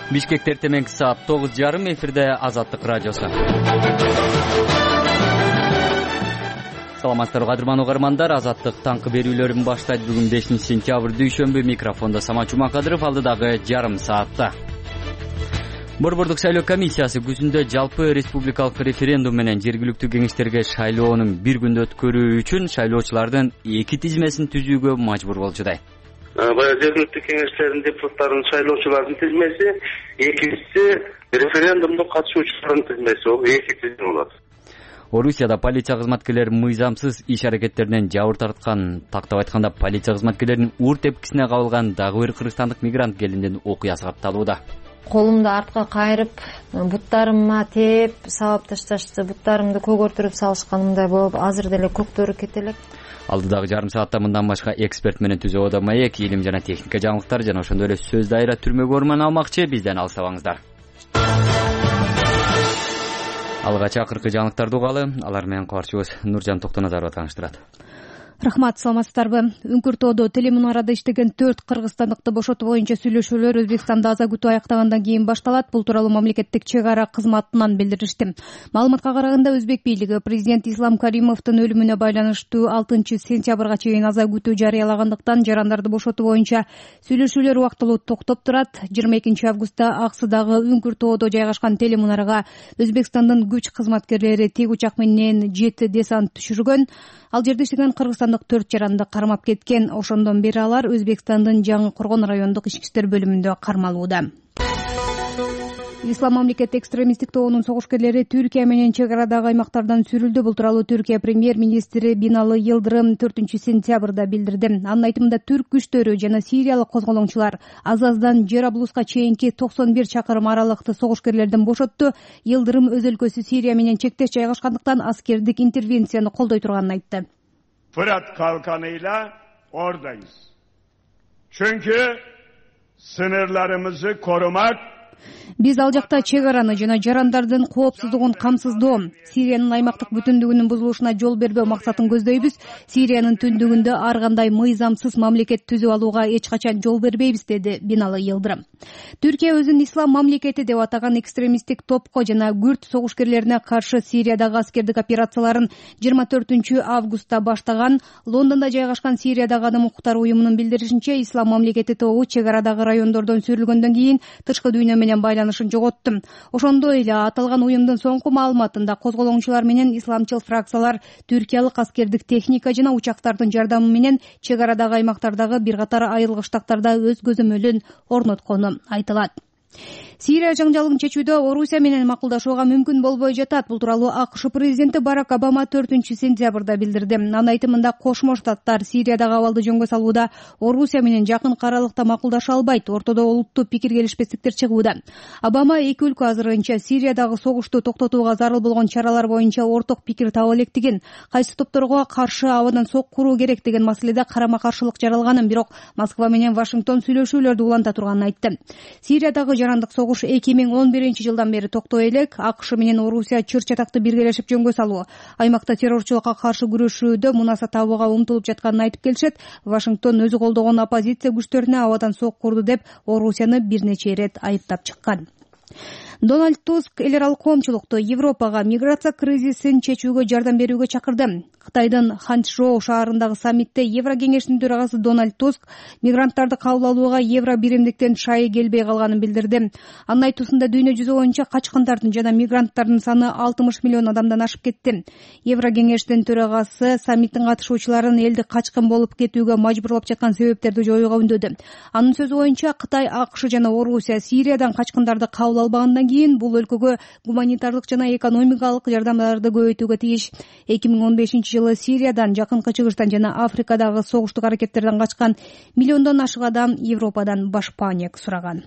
Бишкекте эртең саат 9:30 эфирде Азаттык радиосу. Саламатсыздарбы кадырман угармандар, Азаттык таңкы берүүлөрүн баштайт. Бүгүн 5-сентябрь дүйшөмбү. Микрофондо Самат Жумакадыров, алдыдагы жарым саатта. Борбордук шайлоо комиссиясы күзүндө жалпы республикалык референдум менен жергиликтүү кеңештерге шайлоонун bir күндө өткөрүү үчүн шайлоочулардын 2 тизмесин түзүүгө мажбур болчудай. Баягы жергиликтүү кеңештердин депутаттарын шайлоочулардын тизмеси, экинчиси референдумдун катышуучулардын тизмеси, ол 2 тизме болот. Орусияда полиция кызматкерлери мыйзамсыз иш аракеттеринен жабыр тарткан. Тактап айтканда, полиция кызматкерлеринин ур тепкисине кабылган дагы бир кыргызстандык мигрант келиндин окуясы катталууда. Колумду артка кайрып, буттарыма теп, сабап ташташты, буттарымды көгөртүрүп салышканымдай болуп, азыр деле көктөрү кете элек. Алдыдагы жарым саатта мындан башка эксперт менен Түзө Ода маек, илим жана техника жаңылыктар жана ошондой эле сөз дайра түрмөгө орман алмакчы. Бизден алыстабаңыздар. Алга чакыркы жаңылыктарды угалы, алар менен кабарчыбыз Нуржан Токтоназарова тааныштырат. Рахмат, саламатсыздарбы. Үңкүртоодо телемунарада иштеген 4 кыргызстандыкты бошотуу боюнча сүйлөшүүлөр Өзбекстанда аза күтүү аяктагандан кийин башталат. Бул тууралуу мамлекеттик чек ара кызматынан билдиришти. Маалыматка караганда, Өзбек бийлиги президент Ислам Каримовдун өлүмүнө байланыштуу 6-сентябрга чейин аза күтүү жарыялагандыктан жарандарды бошотуу боюнча сүйлөшүүлөр убактылуу токтоп турат. 22-августта Аксыдагы Үңкүртоодо жайгашкан телемунарага Өзбекстандын күч кызматкерлери тик учак менен 7 десант түшүргөн. Ал жерде иштеген кыргызстандык 4 жаранды кармап кеткен. Ошондон бери алар Өзбекстандын Жаңы Коргон райондук ички иштер бөлүмүндө кармалууда. Ислам мамлекет экстремисттик тобунун согушкерлери Түркия менен чек арадагы аймактардан сүрүлдү. Бул тууралуу Түркия премьер-министри Биналы Йылдырым 4-сентябрда билдирди. Анын айтымында, түрк күчтөрү жана сириялык козголоңчулар Азаздан Жераблуска чейинки 91 чакырым аралыкты согушкерлерден бошотту. Йылдырым өз өлкөсү Сирия менен чектеш жайгашкандыктан аскердик интервенцияны колдой турганын айтты. Fırat kalkanıyla oradayız. Çünkü sınırlarımızı korumak, Биз ал жакта чек араны жана жарандардын коопсуздугун камсыздоо, Сириянын аймактык бүтүндүгүнүн бузулушуна жол бербөө максатын көздөйбүз. Сириянын түндүгүндө ар кандай мыйзамсыз мамлекет түзүп алууга эч качан жол бербейбиз, деди Биналы Йылдырым. Түркия өзүн ислам мамлекети деп атаган экстремисттик топко жана күрд согушкерлерине каршы Сириядагы аскердик операцияларын 24-августта баштаган. Лондондо жайгашкан Сириядагы адам укуктары уюмунун билдиришинче, ислам мамлекети тобу чек арадагы райондордон сүрүлгөндөн кийин тышкы дүйнө менен байланышын жоготту. Ошондой эле аталган уюмдун соңку маалыматында козголоңчулар менен исламчыл фракциялар түркиялык аскердик техника жана учактардын жардамы менен чек арадагы аймактардагы бир катар айылгы штаттарда өз көзөмөлүн орноткону айтылат. Сирия жаңжалын чечүүдө Орусия менен макулдашууга мүмкүн болбой жатат. Бул тууралуу АКШ президенти Барак Обама 4-сентябрда билдирди. Анын айтымында, Кошмо Штаттар Сириядагы абалды жөнгө салууда Орусия менен жакын аралыкта макулдаша албайт. Ортодо олуттуу пикир келишпестиктер чыгууда. Обама эки өлкө азырынча Сириядагы согушту токтотууга зарыл болгон чаралар боюнча орток пикир таба электигин, кайсы топторго каршы абадан сок куруу керек деген маселеде карама-каршылык жаралганын, бирок Москва менен Вашингтон сүйлөшүүлөрдү уланта турганын айтты. Сириядагы жарандык согуш 2011-жылдан бери токтой элек. АКШ менен Орусия чыр чатакты биргелешип жөнгө салуу, аймакта террорчулукка каршы күрөшүүдө мунаса табууга умтулуп жатканын айтып келишет. Вашингтон өзү колдогон оппозиция күчтөрүнө абадан сок курду деп Орусияны бир нече ирет айыптап чыккан. Дональд Туск эл аралык коомчулукту Европага миграция кризисин чечүүгө жардам берүүгө чакырды. Кытайдын Ханчжоу шаарындагы саммитте Евро кеңешинин төрагасы Дональд Туск мигранттарды кабыл алууга евро биримдиктен шайы келбей калганын билдирди. Анын айтуусунда, дүйнө жүзү боюнча качкындардын жана мигранттардын саны 60 миллион адамдан ашып кетти. Евро кеңешинин төрагасы саммиттин катышуучуларын элди качкын болуп кетүүгө мажбурлап жаткан себептерди жоюуга үндөдү. Анын сөзү боюнча, Кытай, АКШ жана Орусия Сириядан качкындарды кабыл албагандан кийин бул өлкөгө гуманитардык жана экономикалык жардамдарды көбөйтүүгө тийиш. 2015-жылы Сириядан, жакынкы чыгыштан жана Африкадагы согуштук аракеттерден качкан миллиондон ашык адам Европадан башпаанек сураган.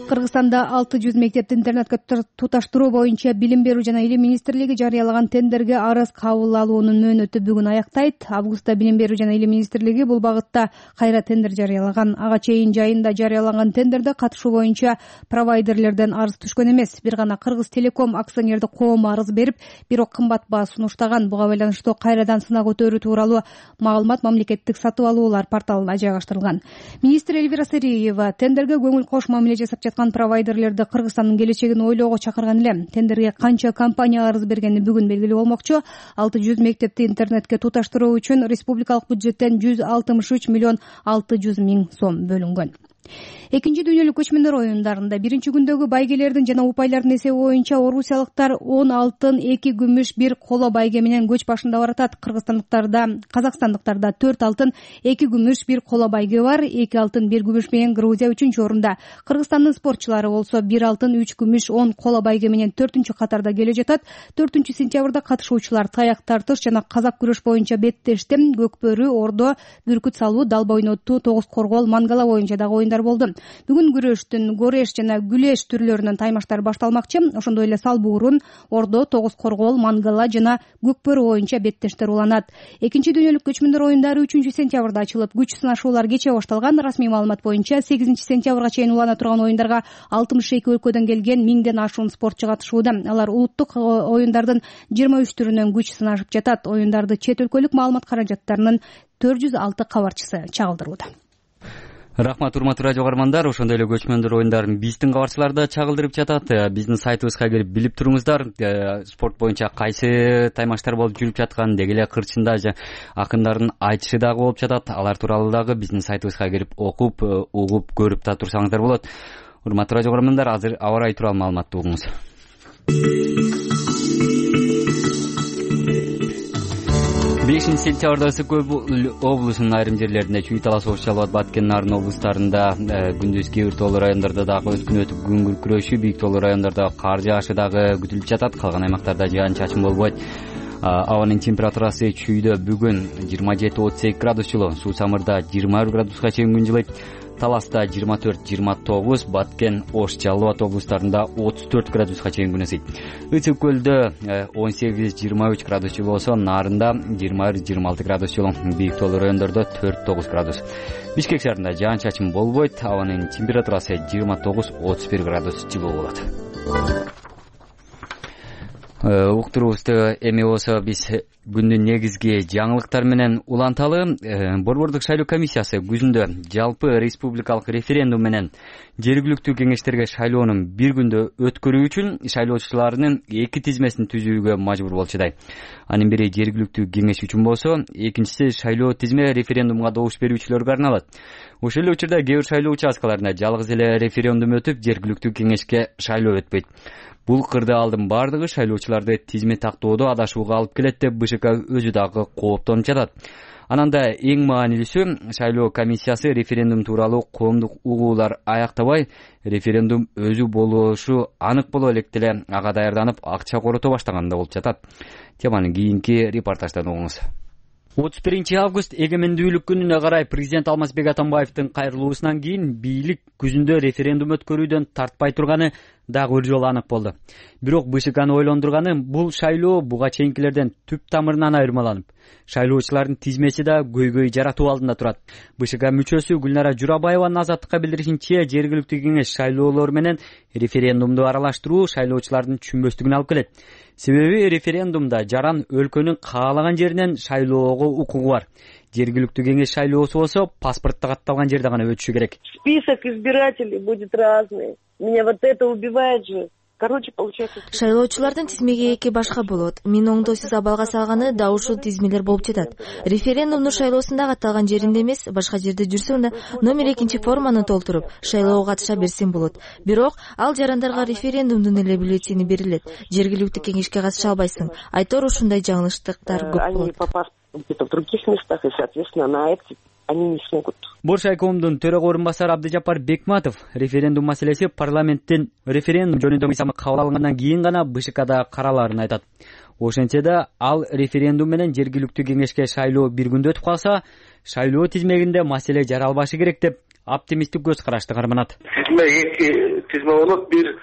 Кыргызстанда 600 мектепти интернетке туташтыруу боюнча Билим берүү жана Илим министрлиги жарыялаган тендерге арыз кабыл алуунун мөөнөтү бүгүн аяктайт. Августта Билим берүү жана Илим министрлиги бул багытта кайра тендер жарыялаган. Ага чейин жайында жарыяланган тендерде катышуу боюнча провайдерлерден арыз түшкөн эмес. Бир гана Кыргыз Телеком акционердик коому арыз берип, бирок кымбат баа сунуштаган. Буга байланыштуу кайрадан сынак өтөрүү тууралуу маалымат мамлекеттик сатып алуулар порталына жайгаштырылган. Министр Эльвира Сариева тендерге көңүл кош мамиле жасап жаткан провайдерлерди Кыргызстандын келечегин ойлоого чакырган эле. Тендерге канча компания арыз бергени бүгүн белгилүү болмокчу. 600 мектепти интернетке туташтыруу үчүн республикалык бюджеттен 163 миллион 600 миң сом бөлүнгөн. Экинчи дүйнөлүк көчмөндөр оюндарында биринчи күндөгү байгелердин жана упайлардын эсеби боюнча орусиялыктар 10 алтын, 2 күмүш, 1 коло байге менен көч башында баратат. Казакстандыктарда 4 алтын, 2 күмүш, 1 коло байге бар. 2 алтын, 1 күмүш менен Грузия 3-чү орунда. Кыргызстандын спортчулары болсо 1 алтын, 3 күмүш, 10 коло байге менен 4-чү катарда келе жатат. 4-сентябрда катышуучулар таяк тартыш жана казак күрөш боюнча беттешти, көкбөрү, ордо, бүркүт салуу, далба ойнотуу, тогуз коргоол, мангала боюнча дагы оюндар болду. Бүгүн күрөштүн гореш жана күлеш түрлөрүнөн таймаштар башталмакчы. Ошондой эле салбуурун, ордо, тогуз коргоол, мангала жана көкбөрү боюнча беттештер уланат. Экинчи дүйнөлүк көчмөндөр оюндары 3-сентябрда ачылып, күч сынашуулар кечээ башталган. Расмий маалымат боюнча 8-сентябрга чейин улана турган оюндарга 62 өлкөдөн келген 1000ден ашуун спортчу катышууда. Алар улуттук оюндардын 23 түрүнөн күч сынашып жатат. Оюндарды чет өлкөлүк маалымат каражаттарынын 406 кабарчысы чагылдырууда. Рахмат, урматтуу радио каармандар. Ошондой эле көчмөндөр оюндарын биздин кабарчылар да чагылдырып жатат. Биздин сайтыбызга кирип билип туруңуздар. Спорт боюнча кайсы таймаштар болуп жүрүп жаткан, деги эле кырчында акындардын айтышы дагы болуп жатат. Алар тууралуу дагы биздин сайтыбызга кирип окуп, угуп, көрүп да турсаңыздар болот. Урматтуу радио каармандар, азыр аба ырайы тууралуу маалыматты угуңуз. 5-сентябрда ысык көл облусунун айрым жерлеринде чүй талас оош жалбат, Баткен, Нарын облустарында күндүз кээ бир тоолуу райондордо дагы өткүн өтүп күн күркүрөшү, бийик тоолуу райондордо кар жаашы дагы күтүлүп жатат. Калган аймактарда жаан чачын болбойт. Абанын температурасы чүйдө бүгүн 27-32 градус жылуу, Суу Самырда 21 градуска чейин күн жылыйт. Таласта 24-29, Баткен, Ош, Жалал Абад облустарында 34 градуска чейин күн ысыйт. Ысык көлдө 18-23 градус жылуу болсо, Нарында 21-26 градус жылуу, бийик тоолуу райондордо 4-9 градус. Бишкек шаарында жаан чачын болбойт. Абанын температурасы 29-31 градус жылуу болот. Уктуруубузду эми болсо биз күндүн негизги жаңылыктар менен уланталы. Борбордук шайлоо комиссиясы күзүндө жалпы республикалык референдум менен жергиликтүү кеңештерге шайлоонун бир күндө өткөрүү үчүн шайлоочулардын 2 тизмесин түзүүгө мажбур болчудай. Анын бири жергиликтүү кеңеш үчүн болсо, экинчиси шайлоо тизме референдумга добуш берүүчүлөргө арналат. Ошол эле учурда кээ бир шайлоо участкаларында жалгыз эле референдум өтүп, жергиликтүү кеңешке шайлоо өтпөйт. Бул кырдаалдын бардыгы шайлоочуларды тизме тактоодо адашууга алып келет деп БШК өзү дагы кооптонуп жатат. Анан да эң маанилүүсү, шайлоо комиссиясы референдум тууралуу коомдук угуулар аяктабай, референдум өзү болушу анык боло элек деле ага даярданып, акча корото баштаганда болуп жатат. Теманы кийинки репортаждан угуңуз. 31 август эгемендүүлүк күнүнө карай президент Алмазбек Атамбаевдин кайрылуусунан кийин бийлик күзүндө референдум өткөрүүдөн тартпай турганы дагы бир жолу анык болду. Бирок БШКны ойлондурганы бул шайлоо буга чейинкилерден түп тамырынан айырмаланып, шайлоочулардын тизмеси да көйгөй жаратуу алдында турат. БШК мүчөсү Гүлнара Журабаеванын Азаттыкка билдиришинче, жергиликтүү кеңеш шайлоолор менен референдумду аралаштыруу шайлоочулардын түшүнбөстүгүнө алып келет. Себеби референдумда жаран өлкөнүн каалаган жеринен шайлоого укугу бар. Жергиликтүү кеңеш шайлоосу болсо паспортто катталган жерде гана өтүшү керек. Список избирателей будет разный. Меня вот это убивает же. Короче, получается... Шайлоочулардын тизмеги эки башка болот. Мен оңдоосуз абалга салганы да ушул тизмелер болуп жатат. Референдумдун шайлоосунда катталган жеринде эмес, башка жерде жүрсөң да номер 2 форманы толтуруп шайлоого катыша берсең болот. Бирок ал жарандарга референдумдун эле бюллетени берилет. Жергиликтүү кеңешке катыша албайсың. Айтор ушундай жаңылыштыктар көп болот. Они попасть где-то в других местах, и, соответственно, на эти они не смогут. Бош айкомдун төрөгө орун басары Абдыжаппар Бекматов референдум маселеси парламенттин референдум жөнүндө мыйзамы кабыл алынгандан кийин гана БШКда каралаарын айтат. Ошентсе да ал референдум менен жергиликтүү кеңешке шайлоо бир күндө өтүп калса, шайлоо тизмегинде маселе жаралбашы керек деп оптимисттик көз карашты карманат. Эки тизме болот. Бир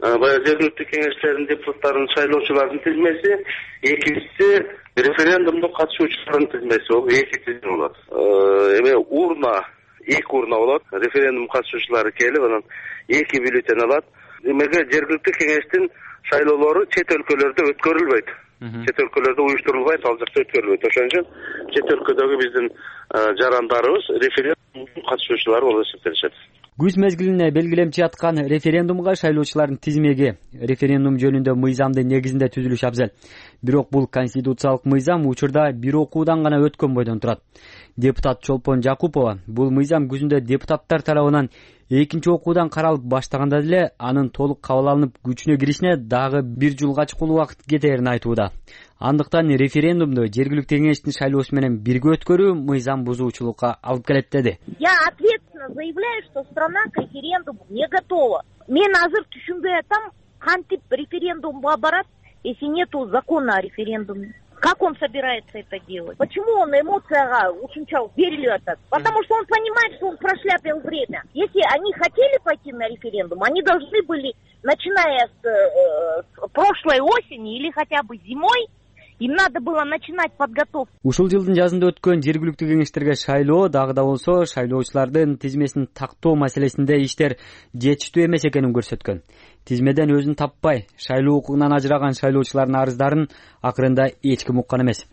баягы жергиликтүү кеңештердин депутаттарын шайлоочулардын тизмеси, экинчиси референдумдун катышуучулардын тизмеси болуп эки тизме болот. Эми эки урна болот. Референдум катышуучулары келип, анан эки бюллетень алат. Демеги жергиликтүү кеңештин шайлоолору чет өлкөлөрдө өткөрүлбөйт. Чет өлкөлөрдө уюштурулбайт, ал жакта өткөрүлбөйт. Ошон үчүн чет өлкөдөгү биздин жарандарыбыз референдум катышуучулары болуп эсептелишет. Күз мезгилине белгилемчи аткан референдумга шайлоочулардын тизмеги референдум жөнүндө мыйзамды негизинде түзүлүш абзел. Бирок бул конституциялык мыйзам учурда бир окуудан гана өткөн бойдон турат. Депутат Чолпон Жакупова бул мыйзам күзүндө депутаттар тарабынан экинчи окуудан каралып баштаганда деле анын толук кабыл алынып күчүнө киришине дагы 1 жылга чукул убакыт кетерин айтууда. Андыктан референдумду жергиликтүү кеңештин шайлоосу менен бирге өткөрүү мыйзам бузуучулукка алып келет деди. Я ответственно заявляю, что страна к референдуму не готова. Мен азыр түшүнбөй атам, кантип референдумга барат, если нету закона о референдуме. Как он собирается это делать? Почему он эмоцияга ушунча берилип атат? Потому что он понимает, что он прошляпил время. Если они хотели пойти на референдум, они должны были, начиная с прошлой осени или хотя бы зимой, им надо было начинать подготовку. Ушул жылдын жазында өткөн жергиликтүү кеңештерге шайлоо дагы да болсо шайлоочулардын тизмесин тактоо маселесинде иштер жетиштүү эмес экенин көрсөткөн. Тизмеден өзүн таппай, шайлоо укугунан ажыраган шайлоочулардын арыздарын акырында эч ким уккан эмес.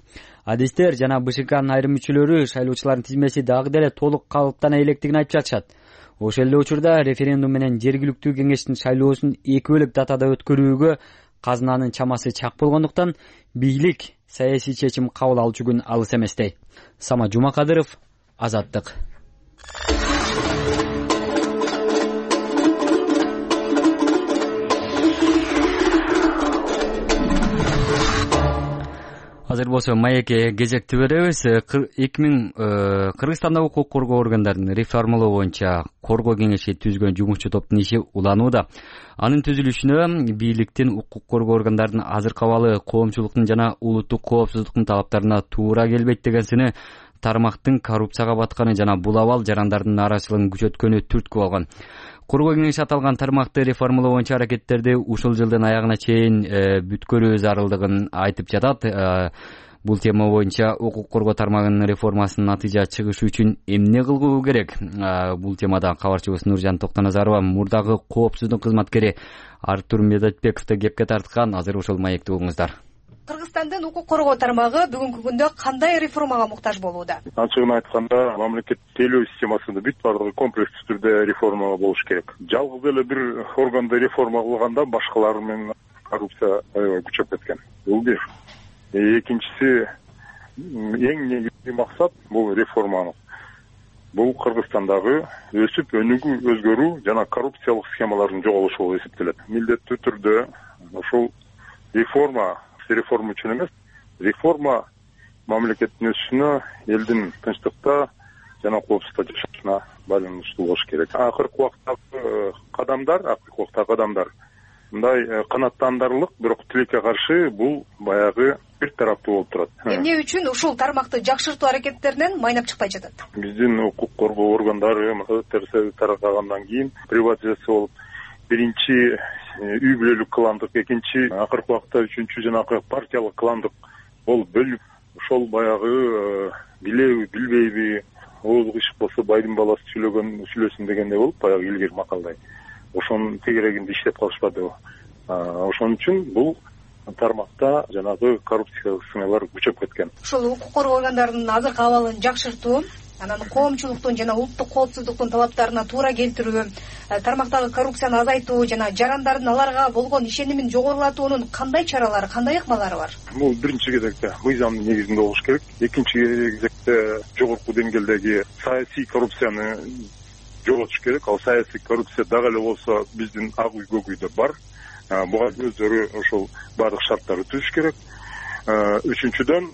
Адистер жана БШКнын айрым мүчөлөрү шайлоочулардын тизмеси дагы деле толук калыптана электигин айтып жатышат. Ошол эле учурда референдум менен жергиликтүү кеңештин шайлоосун эки бөлөк датада өткөрүүгө казынанын чамасы чак болгондуктан бийлик саясий чечим кабыл алчу күн алыс эместей. Самат Жумакадыров, Азаттык. Азыр болсо маекке кезекти беребиз. Кыргызстанда укук коргоо органдарын реформалоо боюнча коргоо кеңеши түзгөн жумушчу топтун иши уланууда. Анын түзүлүшүнө бийликтин укук коргоо органдардын азыркы абалы коомчулуктун жана улуттук коопсуздуктун талаптарына туура келбейт деген сыны тармактын коррупцияга батканы жана бул абал жарандардын нааразычылыгын күчөткөнү түрткү болгон. Коргоо кеңеши аталган тармакты реформалоо боюнча аракеттерди ушул жылдын аягына чейин бүткөрүү зарылдыгын айтып жатат. Бул тема боюнча укук коргоо тармагынын реформасынын натыйжа чыгышы үчүн эмне кылуу керек? Бул темада кабарчыбыз Нуржан Токтоназарова мурдагы коопсуздук кызматкери Артур Медетбековду кепке тарткан. Азыр ушул маекти угуңуздар. Кыргызстандын укук коргоо тармагы бүгүнкү күндө кандай реформага муктаж болууда? Ачыгын айтканда, мамлекет тейлөө системасында бүт баардыгы комплекстүү түрдө реформа болуш керек. Жалгыз эле бир органды реформа кылганда башкалар менен коррупция күчөп кеткен. Бул бир. Экинчиси, эң негизги максат бул реформанын. Бул Кыргызстандагы өсүп өзгөрүү жана коррупциялык схемалардын жоголушу болуп эсептелет. Милдеттүү түрдө ошол реформа үчүн эмес, реформа мамлекеттин өсүшүнө, элдин тынчтыкта жана коопсуздукта жашашына байланыштуу болуш керек. Акыркы убактагы кадамдар мындай канааттандырылык, бирок тилекке каршы бул баягы бир тараптуу болуп турат. Эмне үчүн ушул тармакты жакшыртуу аракеттеринен майнап чыкпай жатат? Биздин укук коргоо органдары таркагандан кийин приватизация болуп, биринчи үй бүлөлүк кландык, экинчи акыркы убакта үчүнчү жанагы партиялык кландык болуп бөлүп, ошол баягы билеби, билбейби, ооз кышык болсо байдын баласы сүйлөсүн дегендей болуп, баягы илгери макалдай. Ошонун тегерегинде иштеп калышпады. Ошон үчүн бул тармакта жанагы коррупциялык сыналар күчөп кеткен. Ушул укук коргоо органдарынын азыркы абалын жакшыртуу, анан коомчулуктун жана улуттук коопсуздуктун талаптарына туура келтирүү, тармактагы коррупцияны азайтуу жана жарандардын аларга болгон ишенимин жогорулатуунун кандай чаралары, кандай ыкмалары бар? Бул биринчи кезекте мыйзамдын негизинде болуш керек. Экинчи кезекте жогорку деңгээлдеги саясий коррупцияны жоготуш керек. Ал саясий коррупция дагы эле болсо биздин ак үй, көк үйдө бар. Буга өздөрү ошол баардык шарттарды түзүш керек. Үчүнчүдөн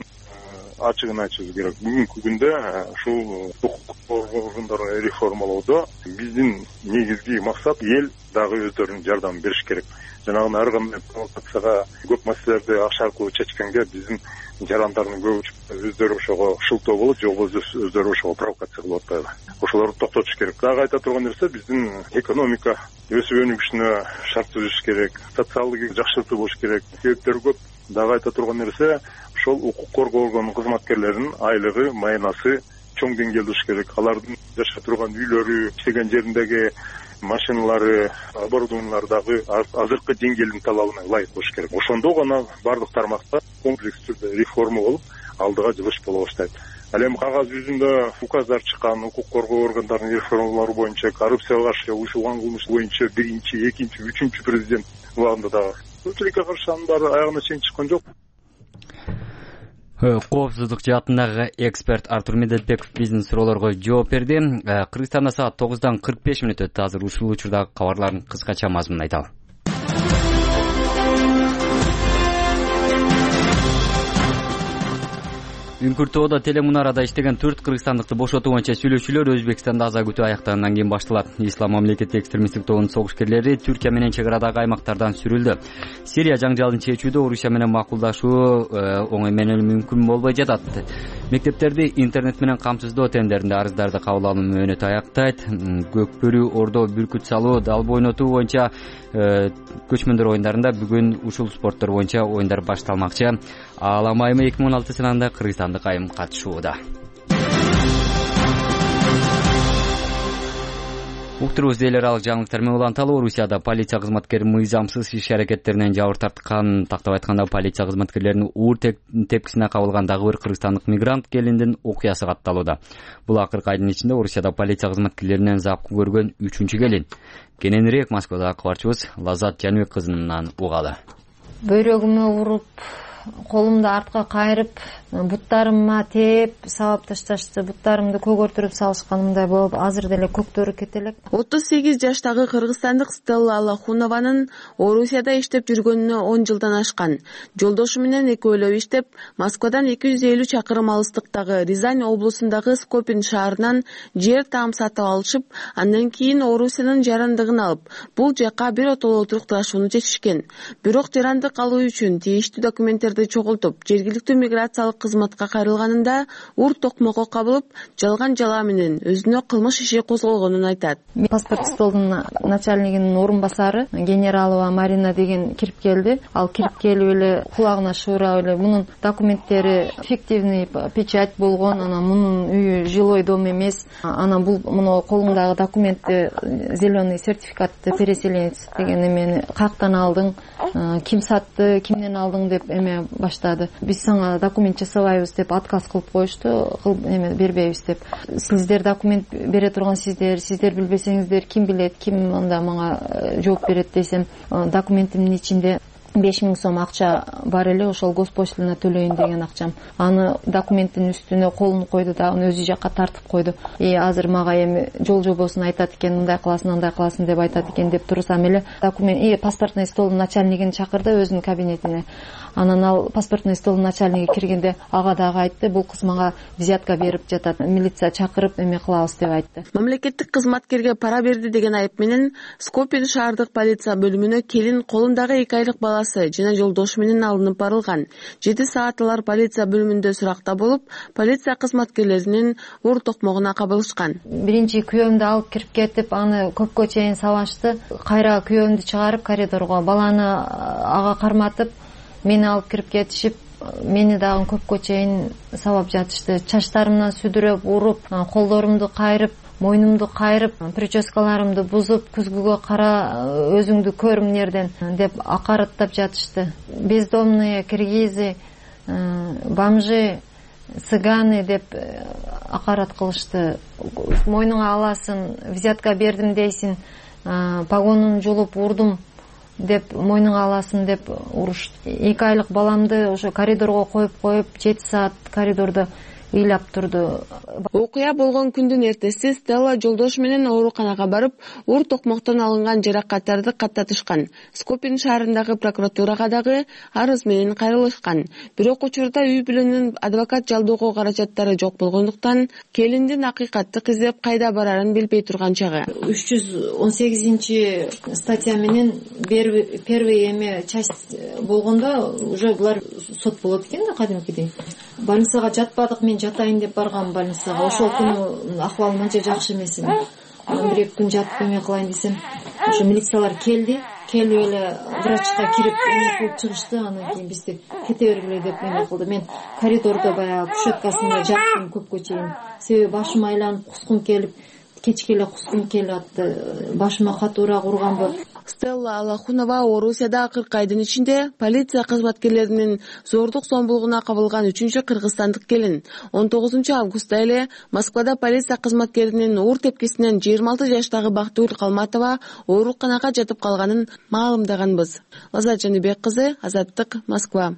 ачыгын айтышыбыз керек. Бүгүнкү күндө ушул укук органдарын реформалоодо биздин негизги максат эл дагы өздөрүнүн жардамын бериш керек. Жанагы ар кандай провокацияга көп маселелерди акча аркылуу чечкенге биздин жарандардын көбү өздөрү ошого шылтоо болот, же болбосо өздөрү ошого провокация кылып атпайбы. Ошолорду токтотуш керек. Дагы айта турган нерсе биздин экономика өсүп өнүгүшүнө шарт түзүш керек, социалдык жакшыртуу болуш керек. Себептери көп. Дагы айта турган нерсе ошол укук коргоо орган кызматкерлеринин айлыгы, майнасы чоң деңгээлде болуш керек. Алардын жашап турган үйлөрү, иштеген жериндеги машиналары, оборудованиялары дагы азыркы деңгээлдин талабына ылайык болуш керек. Ошондо гана бардык тармакта комплекс түрдө реформа болуп, алдыга жылыш боло баштайт. Ал эми кагаз жүзүндө указдар чыккан, укук коргоо органдарынын реформалары боюнча, коррупцияга каршы уюшулган кылмыш боюнча 1-чи, 2-чи, 3-чү президент убагында дагы көпчүлүккө каршы анын баары аягына чейин чыккан жок. Коопсуздук жаатындагы эксперт Артур Медетбеков биздин суроолорго жооп берди. Кыргызстанда саат 9:45 өтөт. Азыр ушул учурдагы кабарлардын кыскача мазмунун айталы. Үңкүртөөдө телемунарада иштеген 4 кыргызстандыкты бошотуу боюнча сүйлөшүүлөр Өзбекстанда аза күтүү аяктагандан кийин башталат. Ислам мамлекети экстремисттик тобунун согушкерлери Түркия менен чек арадагы аймактардан сүрүлдү. Сирия жаңжалын чечүүдө Орусия менен макулдашуу оңой менен мүмкүн болбой жатат. Мектептерди интернет менен камсыздоо тендеринде арыздарды кабыл алуу мөөнөтү аяктайт. Көкбөрү, Ордо, бүркүт салуу, далбы ойнотуу боюнча көчмөндөр оюндарында бүгүн ушул спорттор боюнча оюндар башталмакчы. Аалам айымы 2016 сынагында кыргызстандык айым катышууда. Уктурубузду эл аралык жаңылыктар менен уланталы. Орусияда полиция кызматкери мыйзамсыз иш-аракеттеринен жабыр тарткан. Тактап айтканда, полиция кызматкерлеринин уур тепкисине кабылган дагы бир кыргызстандык мигрант келиндин окуясы катталууда. Бул акыркы айдын ичинде Орусияда полиция кызматкерлеринен запкы көргөн 3-чү келин. Кененирээк Москвадагы кабарчыбыз Лазат Жаныбек кызынан угалы. Бөйрөгүмө уруп, колумду артка кайрып, буттарыма тээп, сабап ташташты. Буттарымды көгөртүрүп салышканымдай болуп, азыр деле көктөрү кете элек. 38 жаштагы кыргызстандык Стелла Алахунованын Орусияда иштеп жүргөнүнө 10 жылдан ашкан. Жолдошу менен экөөлөп иштеп, Москвадан 250 чакырым алыстыктагы Рязань облусундагы Скопин шаарынан жер таам сатып алышып, андан кийин Орусиянын жарандыгын алып, бул жака бир отоло турукташууну чечишкен. Бирок жарандык алуу үчүн тийиштүү документтерди чогултуп, жергиликтүү миграциялык кызматка кайрылганында ур токмокко кабылып, жалган жала менен өзүнө кылмыш иши козголгонун айтат. Паспорт столдун начальнигинин орун басары Генералова Марина деген кирип келди. Ал кирип келип эле кулагына шыбырап эле мунун документтери фиктивный печать болгон, анан мунун үйү жилой дом эмес, анан бул муну колуңдагы документти зеленый сертификатты переселенец деген эмени каяктан алдың, ким сатты, кимден алдың деп эме баштады. Биз сага документ жасабайбыз деп отказ кылып коюшту, эме бербейбиз деп. Сиздер документ бере турган сиздер билбесеңиздер ким билет, ким анда мага жооп берет десем, документимдин ичинде 5000 сом акча бар эле, ошол госпошлина төлөйүн деген акчам. Аны документтин үстүнө колун койду да, аны өзү жакка тартып койду. Азыр мага эми жол жобосун айтат экен, мындай кыласың, андай кыласың деп айтат экен деп турсам эле документ паспортный столдун начальнигин чакырды өзүнүн кабинетине. Анан ал паспортный столдун начальниги киргенде ага дагы айтты, бул кыз мага взятка берип жатат, милиция чакырып эме кылабыз деп айтты. Мамлекеттик кызматкерге пара берди деген айып менен Скопин шаардык полиция бөлүмүнө келин колундагы 2 айлык баласы жана жолдошу менен алынып барылган. 7 саат алар полиция бөлүмүндө суракта болуп, полиция кызматкерлеринин ур токмогуна кабылышкан. Биринчи күйөөмдү алып кирип кетип, аны көпкө чейин сабашты. Кайра күйөөмдү чыгарып коридорго, баланы ага карматып, мени алып кирип кетишип, мени дагы көпкө чейин сабап жатышты. Чачтарымдан сүдүрөп, уруп, колдорумду кайрып, мойнумду кайрып, прическаларымды бузуп, күзгүгө кара, өзүңдү көр эмнерден деп акараттап жатышты. Бездомные, киргизы, бомжи, цыганы деп акарат кылышты. Мойнуңа аласың, взятка бердим дейсиң, погонун жулуп урдум деп мойнуңа аласың деп уруш. 2 айлык баламды ошо коридорго коюп 7 саат коридордо ыйлап турду. Окуя болгон күндүн эртеси Стелла жолдошу менен ооруканага барып, уур токмоктон алынган жаракаттарды каттатышкан. Скопин шаарындагы прокуратурага дагы арыз менен кайрылышкан. Бирок учурда үй бүлөнүн адвокат жалдоого каражаттары жок болгондуктан келиндин акыйкаттык издеп кайда барарын билбей турган чагы. 318 статья менен первый эме часть болгондо уже булар сот болот экен да кадимкидей. Больницага жатпадык, мен жатайын деп баргам больницага. Ошол күнү акыбалым анча жакшы эмес эди. Анан 1-2 күн жатып эме кылайын десем, ошо милициялар келип эле врачка кирип эме кылып чыгышты. Анан кийин бизди кете бергиле деп эме кылды. Мен коридордо баягы кушеткасында жаттым көпкө чейин. Себеби башым айланып, кускум келип, кечке эле кускум келип атты. Башыма катуураак урганбы. Стелла Алахунова Орусияда 40 айдын ичинде полиция кызматкерлеринин зордук зомбулугуна кабылган 3-чү кыргызстандык келин. 19 августта эле Москвада полиция кызматкеринин уур тепкисинен 26 жаштагы Бактыгүл Калматова ооруканага жатып калганын маалымдаганбыз. Лазат Жаныбек кызы, Азаттык, Москва.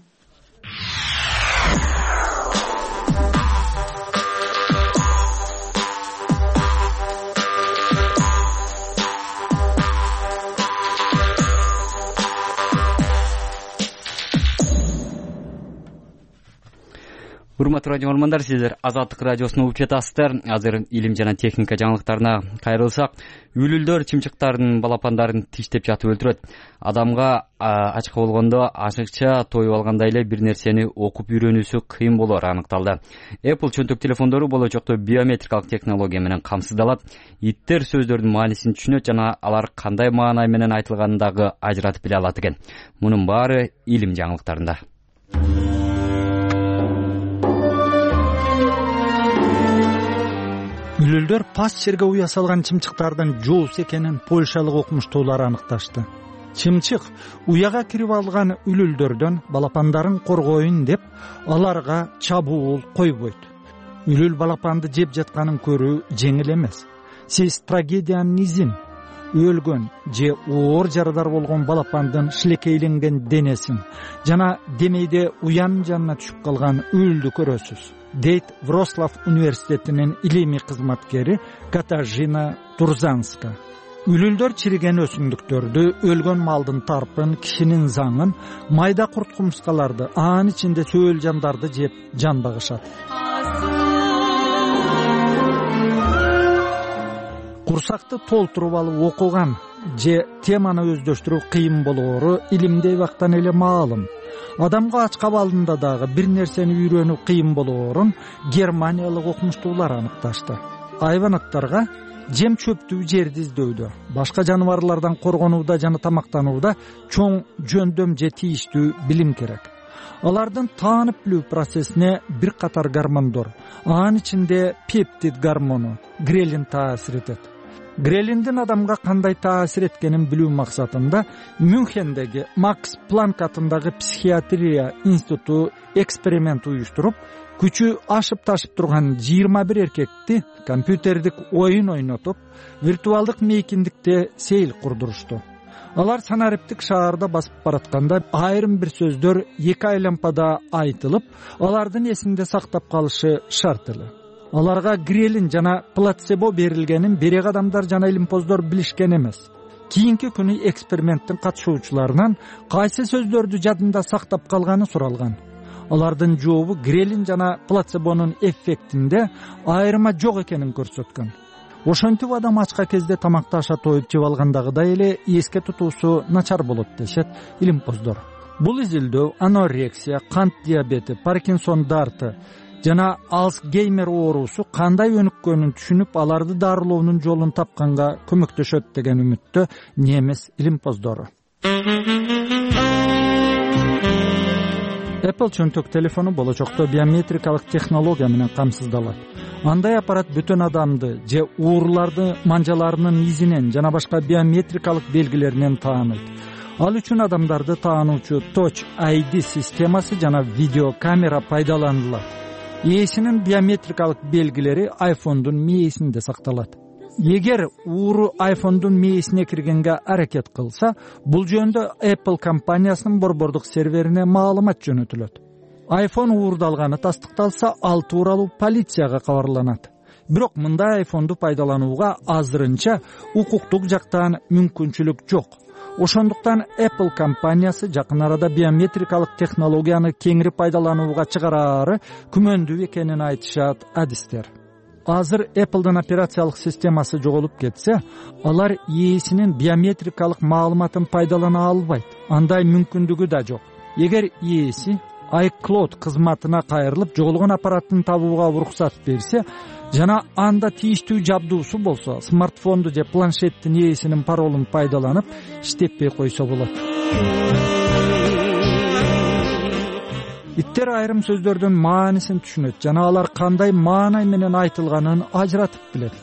Урматтуу радио көрөрмандар, сиздер Азаттык радиосун угуп жатасыздар. Азыр илим жана техника жаңылыктарына кайрылсак, үлүлдөр чымчыктардын балапандарын тиштеп жатып өлтүрөт. Адамга ачка болгондо ашыкча тоюп алгандай эле бир нерсени окуп үйрөнүүсү кыйын болоор аныкталды. Apple чөнтөк телефондору болочокто биометрикалык технология менен камсыздалат. Иттер сөздөрдүн маанисин түшүнөт жана алар кандай маанай менен айтылганын дагы ажыратып биле алат экен. Мунун баары илим жаңылыктарында. Үлүлдөр пас жерге уя салган чымчыктардын жоос экенин польшалык окумуштуулар аныкташты. Чымчык уяга кирип алган үлүлдөрдөн балапандарын коргоюн деп аларга чабуул койбойт. Үлүл балапанды жеп жатканын көрүү жеңил эмес. Сиз трагедиянын изин, өлгөн же оор жарадар болгон балапандын шилекейленген денесин жана демейде уянын жанына түшүп калган үлүлдү көрөсүз, дейт Вроцлав университетинин илимий кызматкери Катажина Турзанска. Үлүлдөр чириген өсүмдүктөрдү, өлгөн малдын тарпын, кишинин заңын, майда курт кумскаларды, анын ичинде сөөл жандарды жеп жан багышат. Курсакты толтуруп алып окуган же теманы өздөштүрүү кыйын болоору илимдей бактан эле маалым. Адамга ач кабалында дагы бир нерсени үйрөнүү кыйын болоорун германиялык окумуштуулар аныкташты. Айванаттарга жем чөптүү жерди издөүдө, башка жаныбарлардан коргонууда жана тамактанууда чоң жөндөм же тийиштүү билим керек. Алардын таанып билүү процессине бир катар гормондор, анын ичинде пептид гормону, грелин таасир этет. Грелиндин адамга кандай таасир эткенин билүү максатында Мюнхендеги Макс Планк атындагы психиатрия институту эксперимент уюштуруп, күчү ашып ташып турган 21 эркекти компьютердик оюн ойнотуп, виртуалдык мейкиндикте сейил курдурушту. Алар санариптик шаарда басып баратканда айрым бир сөздөр 2 айлампада айтылып, алардын эсинде сактап калышы шарт эле. Аларга грелин жана плацебо берилгенин берек адамдар жана илимпоздор билишкен эмес. Кийинки күнү эксперименттин катышуучуларынан кайсы сөздөрдү жадында сактап калганы суралган. Алардын жообу грелин жана плацебонун эффектинде айырма жок экенин көрсөткөн. Ошентип адам ачка кезде тамакты аша тоюп жеп алгандагыдай эле эске тутуусу начар болот дешет илимпоздор. Бул изилдөө анорексия, кант диабети, Паркинсон дарты жана Алцгеймер оорусу кандай өнүккөнүн түшүнүп, аларды дарылоонун жолун тапканга көмөктөшөт деген үмүттө немис илимпоздору. Apple чөнтөк телефону болочокто биометрикалык технология менен камсыздалат. Андай аппарат бүтүн адамды же уурларды манжаларынын изинен жана башка биометрикалык белгилеринен тааныйт. Ал үчүн адамдарды таануучу Touch ID системасы жана видеокамера пайдаланылат. Ээсинин биометрикалык белгилери iPhone'дун мээсинде сакталат. Эгер ууру iPhone'дун мээсине киргенге аракет кылса, бул жөнүндө Apple компаниясынын борбордук серверине маалымат жөнөтүлөт. iPhone уурдалганы тастыкталса, ал тууралуу полицияга кабарланат. Бирок мындай айфонду пайдаланууга азырынча укуктук жактан мүмкүнчүлүк жок. Ошондуктан Apple компаниясы жакын арада биометрикалык технологияны кеңири пайдаланууга чыгараары күмөндүү экенин айтышат адистер. Азыр Apple'дын операциялык системасы жоголуп кетсе, алар ээсинин биометрикалык маалыматын пайдалана албайт. Андай мүмкүндүгү да жок. Эгер ээси iCloud кызматына кайрылып, жоголгон аппараттын табууга уруксат берсе жана анда тийиштүү жабдуусу болсо, смартфонду же планшеттин ээсинин паролун пайдаланып иштетпей койсо болот. Иттер айрым сөздөрдүн маанисин түшүнөт жана алар кандай маанай менен айтылганын ажыратып билет.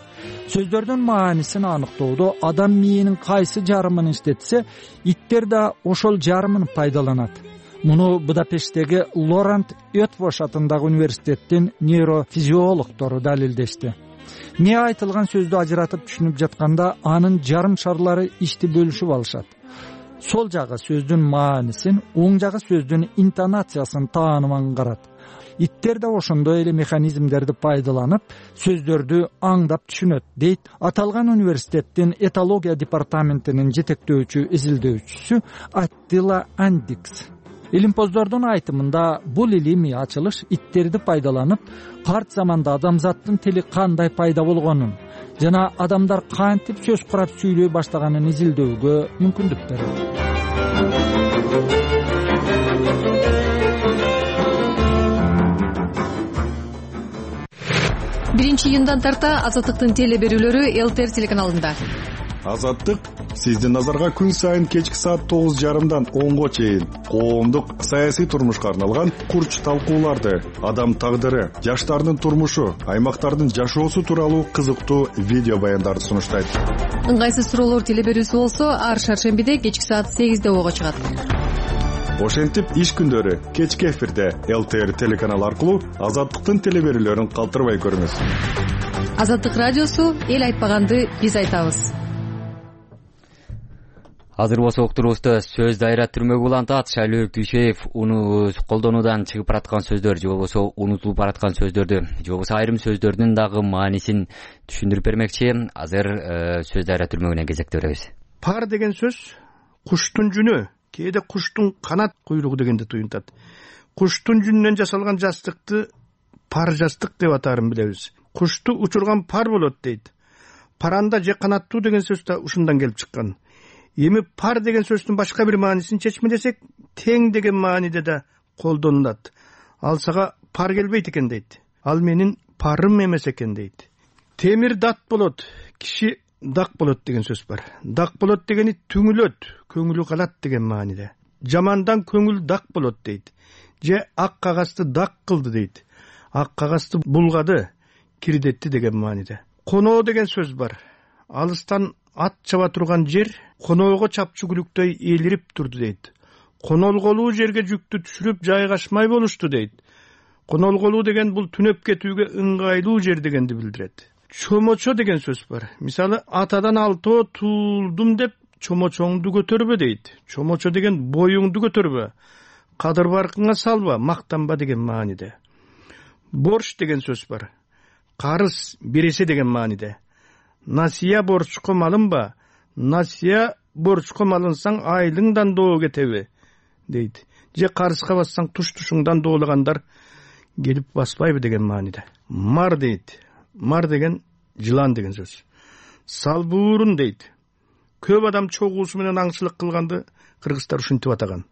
Сөздөрдүн маанисин аныктоодо адам мээинин кайсы жарымын иштетсе, иттер да ошол жарымын пайдаланат. Муну Будапешттеги Лорент Өтвош атындагы университеттин нейрофизиологдору далилдешти. Не айтылган сөздү ажыратып түшүнүп жатканда анын жарым шарлары ишти бөлүшүп алышат. Сол жагы сөздүн маанисин, оң жагы сөздүн интонациясын таанып аңгарат. Иттер да ошондой эле механизмдерди пайдаланып, сөздөрдү аңдап түшүнөт, дейт аталган университеттин этология департаментинин жетектөөчү изилдөөчүсү Аттила Андикс. Илимпоздордун айтымында бул илимий ачылыш иттерди пайдаланып, карт заманда адамзаттын тили кандай пайда болгонун жана адамдар кантип сөз курап сүйлөй баштаганын изилдөөгө мүмкүндүк берет. Биринчи июндан тарта Азаттыктын теле берүүлөрү ЛТР телеканалында. Азаттык сиздин назарга күн сайын кечки саат 9:30 10го чейин коомдук саясий турмушка арналган курч талкууларды, адам тагдыры, жаштардын турмушу, аймактардын жашоосу тууралуу кызыктуу видео баяндарды сунуштайт. Ыңгайсыз суроолор теле берүүсү болсо, ар шаршембиде кечки саат 8де ого чыгат. Ошентип иш күндөрү кечки эфирде ЛТР телеканалы аркылуу Азаттыктын теле берүүлөрүн калтырбай көрүңүз. Азаттык радиосу эл айтпаганды биз айтабыз. Азыр болсо уктурубузда сөз дайра түрмөгү улантат. Шайлоо Дүйшеев уну колдонуудан чыгып бараткан сөздөр же болбосо унутулуп бараткан сөздөрдү же болбосо айрым сөздөрдүн дагы маанисин түшүндүрүп бермекчи. Азыр сөз дайра түрмөгүнөн кезекте беребиз. Пар деген сөз куштун жүнү, кээде куштун канат куйругу дегенди туюнтат. Куштун жүнүнөн жасалган жастыкты пар жастык деп атаарын билебиз. Кушту учурган пар болот дейт. Паранда же канаттуу деген сөз да ушундан келип чыккан. Эми пар деген сөздүн башка бир маанисин чечмелесек, тең деген мааниде да колдонулат. Ал сага пар келбейт экен дейт. Ал менин парым эмес экен дейт. Темир дат болот, киши дак болот деген сөз бар. Дак болот дегени түңүлөт, көңүлү калат деген мааниде. Жамандан көңүл дак болот дейт. Же ак кагазды дак кылды дейт. Ак кагазды булгады, кирдетти деген мааниде. Коноо деген сөз бар. Алыстан ат чаба турган жер коноого чапчы күлүктөй элирип турду дейт. Конолголуу жерге жүктү түшүрүп жайгашмай болушту дейт. Конолголуу деген бул түнөп кетүүгө ыңгайлуу жер дегенди билдирет. Чомочо деген сөз бар. Мисалы, атадан алтоо туулдум деп чомочоңду көтөрбө дейт. Чомочо деген боюңду көтөрбө, кадыр баркыңа салба, мактанба деген мааниде. Борч деген сөз бар. Карыз бересе деген мааниде. Насия борчко малынба, насия борчко малынсаң айлыңдан доо кетеби дейт. Же карызга бассаң туш-тушуңдан доолагандар келип баспайбы деген мааниде. Мар дейт. Мар деген жылан деген сөз. Салбуурун дейт. Көп адам чогуусу менен аңчылык кылганды кыргыздар ушинтип атаган.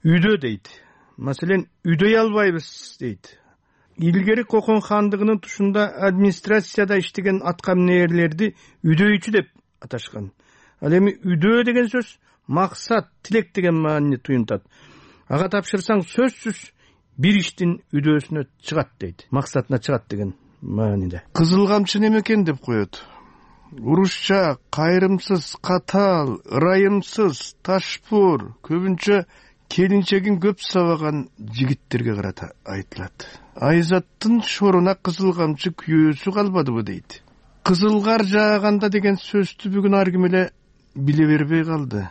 Үйдө дейт. Маселен, үйдөй албайбыз дейт. Илгери Кокон хандыгынын тушунда администрацияда иштеген аткаминерлерди үйдөйчү деп аташкан. Ал эми үйдөө деген сөз максат, тилек деген маанини туюнтат. Ага тапшырсаң сөзсүз бир иштин үйдөөсүнө чыгат дейт. Максатына чыгат деген мааниде. Кызыл камчы неме экен деп коет. Урушча, кайрымсыз, катаал, ырайымсыз, ташпур, көбүнчө келинчегин көп сабаган жигиттерге карата айтылат. Айзаттын шоруна кызыл камчы күйөөсү калбадыбы дейт. Кызыл кар жааганда деген сөздү бүгүн ар ким эле биле бербей калды.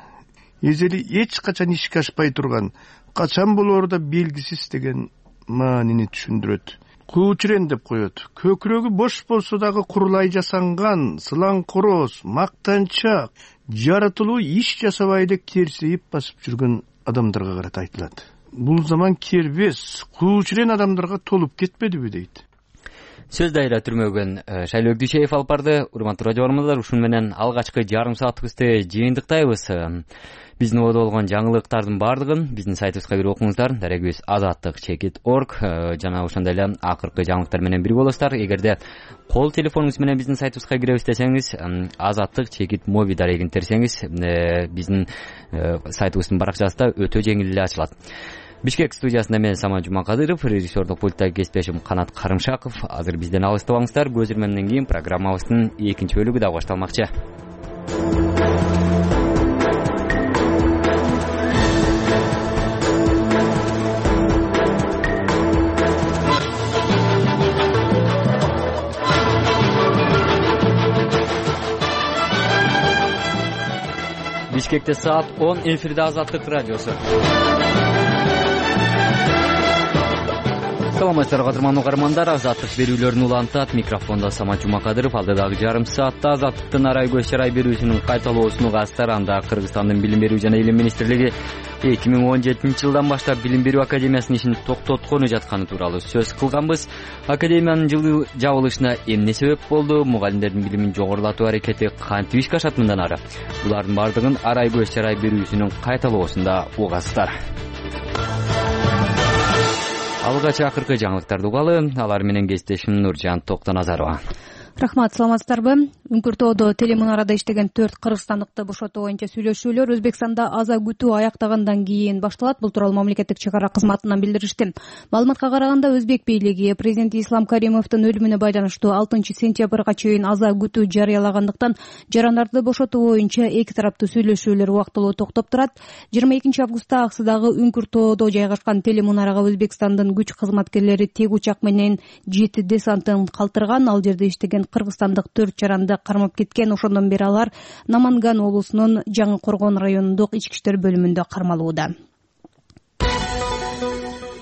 Эжели эч качан ишке ашпай турган, качан болоору да белгисиз деген маанини түшүндүрөт. Куучурен деп коет. Көкүрөгү бош болсо дагы курулай жасанган, сылаңкороз, мактанчак, жаратылуу иш жасабай элек терсейип басып жүргөн адамдарга карата айтылат. Бул заман кербес, куучурен адамдарга толуп кетпедиби дейт. Сөз дайра түрмөгөн Шайлоо Дүйшеев алып барды. Урматтуу радио көрөрмандар, ушун менен алгачкы жарым саатыбызды жыйынтыктайбыз. Биздин ободо болгон жаңылыктардын баардыгын биздин сайтыбызга кирип окуңуздар. Дарегибиз azattik.org жана ошондой эле акыркы жаңылыктар менен бирге болосуздар. Эгерде кол телефонуңуз менен биздин сайтыбызга киребиз десеңиз, azattik.mobi дарегин терсеңиз, биздин сайтыбыздын баракчасы өтө жеңил эле ачылат. Бишкек студиясында мен Самат Жумакадыров, режиссердук пультта кесиптешим Канат Карымшаков. Азыр бизден алыстабаңыздар. Көз ирмемден кийин программабыздын экинчи бөлүгү да башталмакчы. Бишкекте саат 10, эфирде Азаттык радиосу. Саламатсыздарбы кадырман угармандар, Азаттык берүүлөрүн улантат. Микрофондо Самат Жумакадыров. Алдыдагы жарым саатта Азаттыктын арай көз чарай берүүсүнүн кайталоосун угасыздар. Анда Кыргызстандын Билим берүү жана Илим министрлиги 2017 жылдан баштап Билим берүү академиясынын ишин токтоткону жатканы тууралуу сөз кылганбыз. Академиянын жылы жабылышына эмне себеп болду? Мугалимдердин билимин жогорулатуу аракети кантип ишке ашат мындан ары? Булардын баардыгын арай көз чарай берүүсүнүн кайталоосунда угасыздар. Алгач акыркы жаңылыктарды угалы, алар менен кесиптешим Нуржан Токтоназарова. Рахмат, саламатсыздарбы? Үңкүртоодо телемунарада иштеген 4 кыргызстандыкты бошотуу боюнча сүйлөшүүлөр Өзбекстанда аза күтүү аяктагандан кийин башталат. Бул тууралуу мамлекеттик чек ара кызматынан билдиришти. Маалыматка караганда, Өзбек бийлиги президент Ислам Каримовдун өлүмүнө байланыштуу 6-сентябрга чейин аза күтүү жарыялагандыктан жарандарды бошотуу боюнча эки тараптуу сүйлөшүүлөр убактылуу токтоп турат. 22-августта Аксыдагы Үңкүртоодо жайгашкан телемунарага Өзбекстандын күч кызматкерлери тег учак менен JET десантын калтырган. Ал жерде иштеген кыргызстандык 4 жаранды кармап кеткен. Ошондон бери алар Наманган облусунун Жаңы Коргон районундук ички иштер бөлүмүндө кармалууда.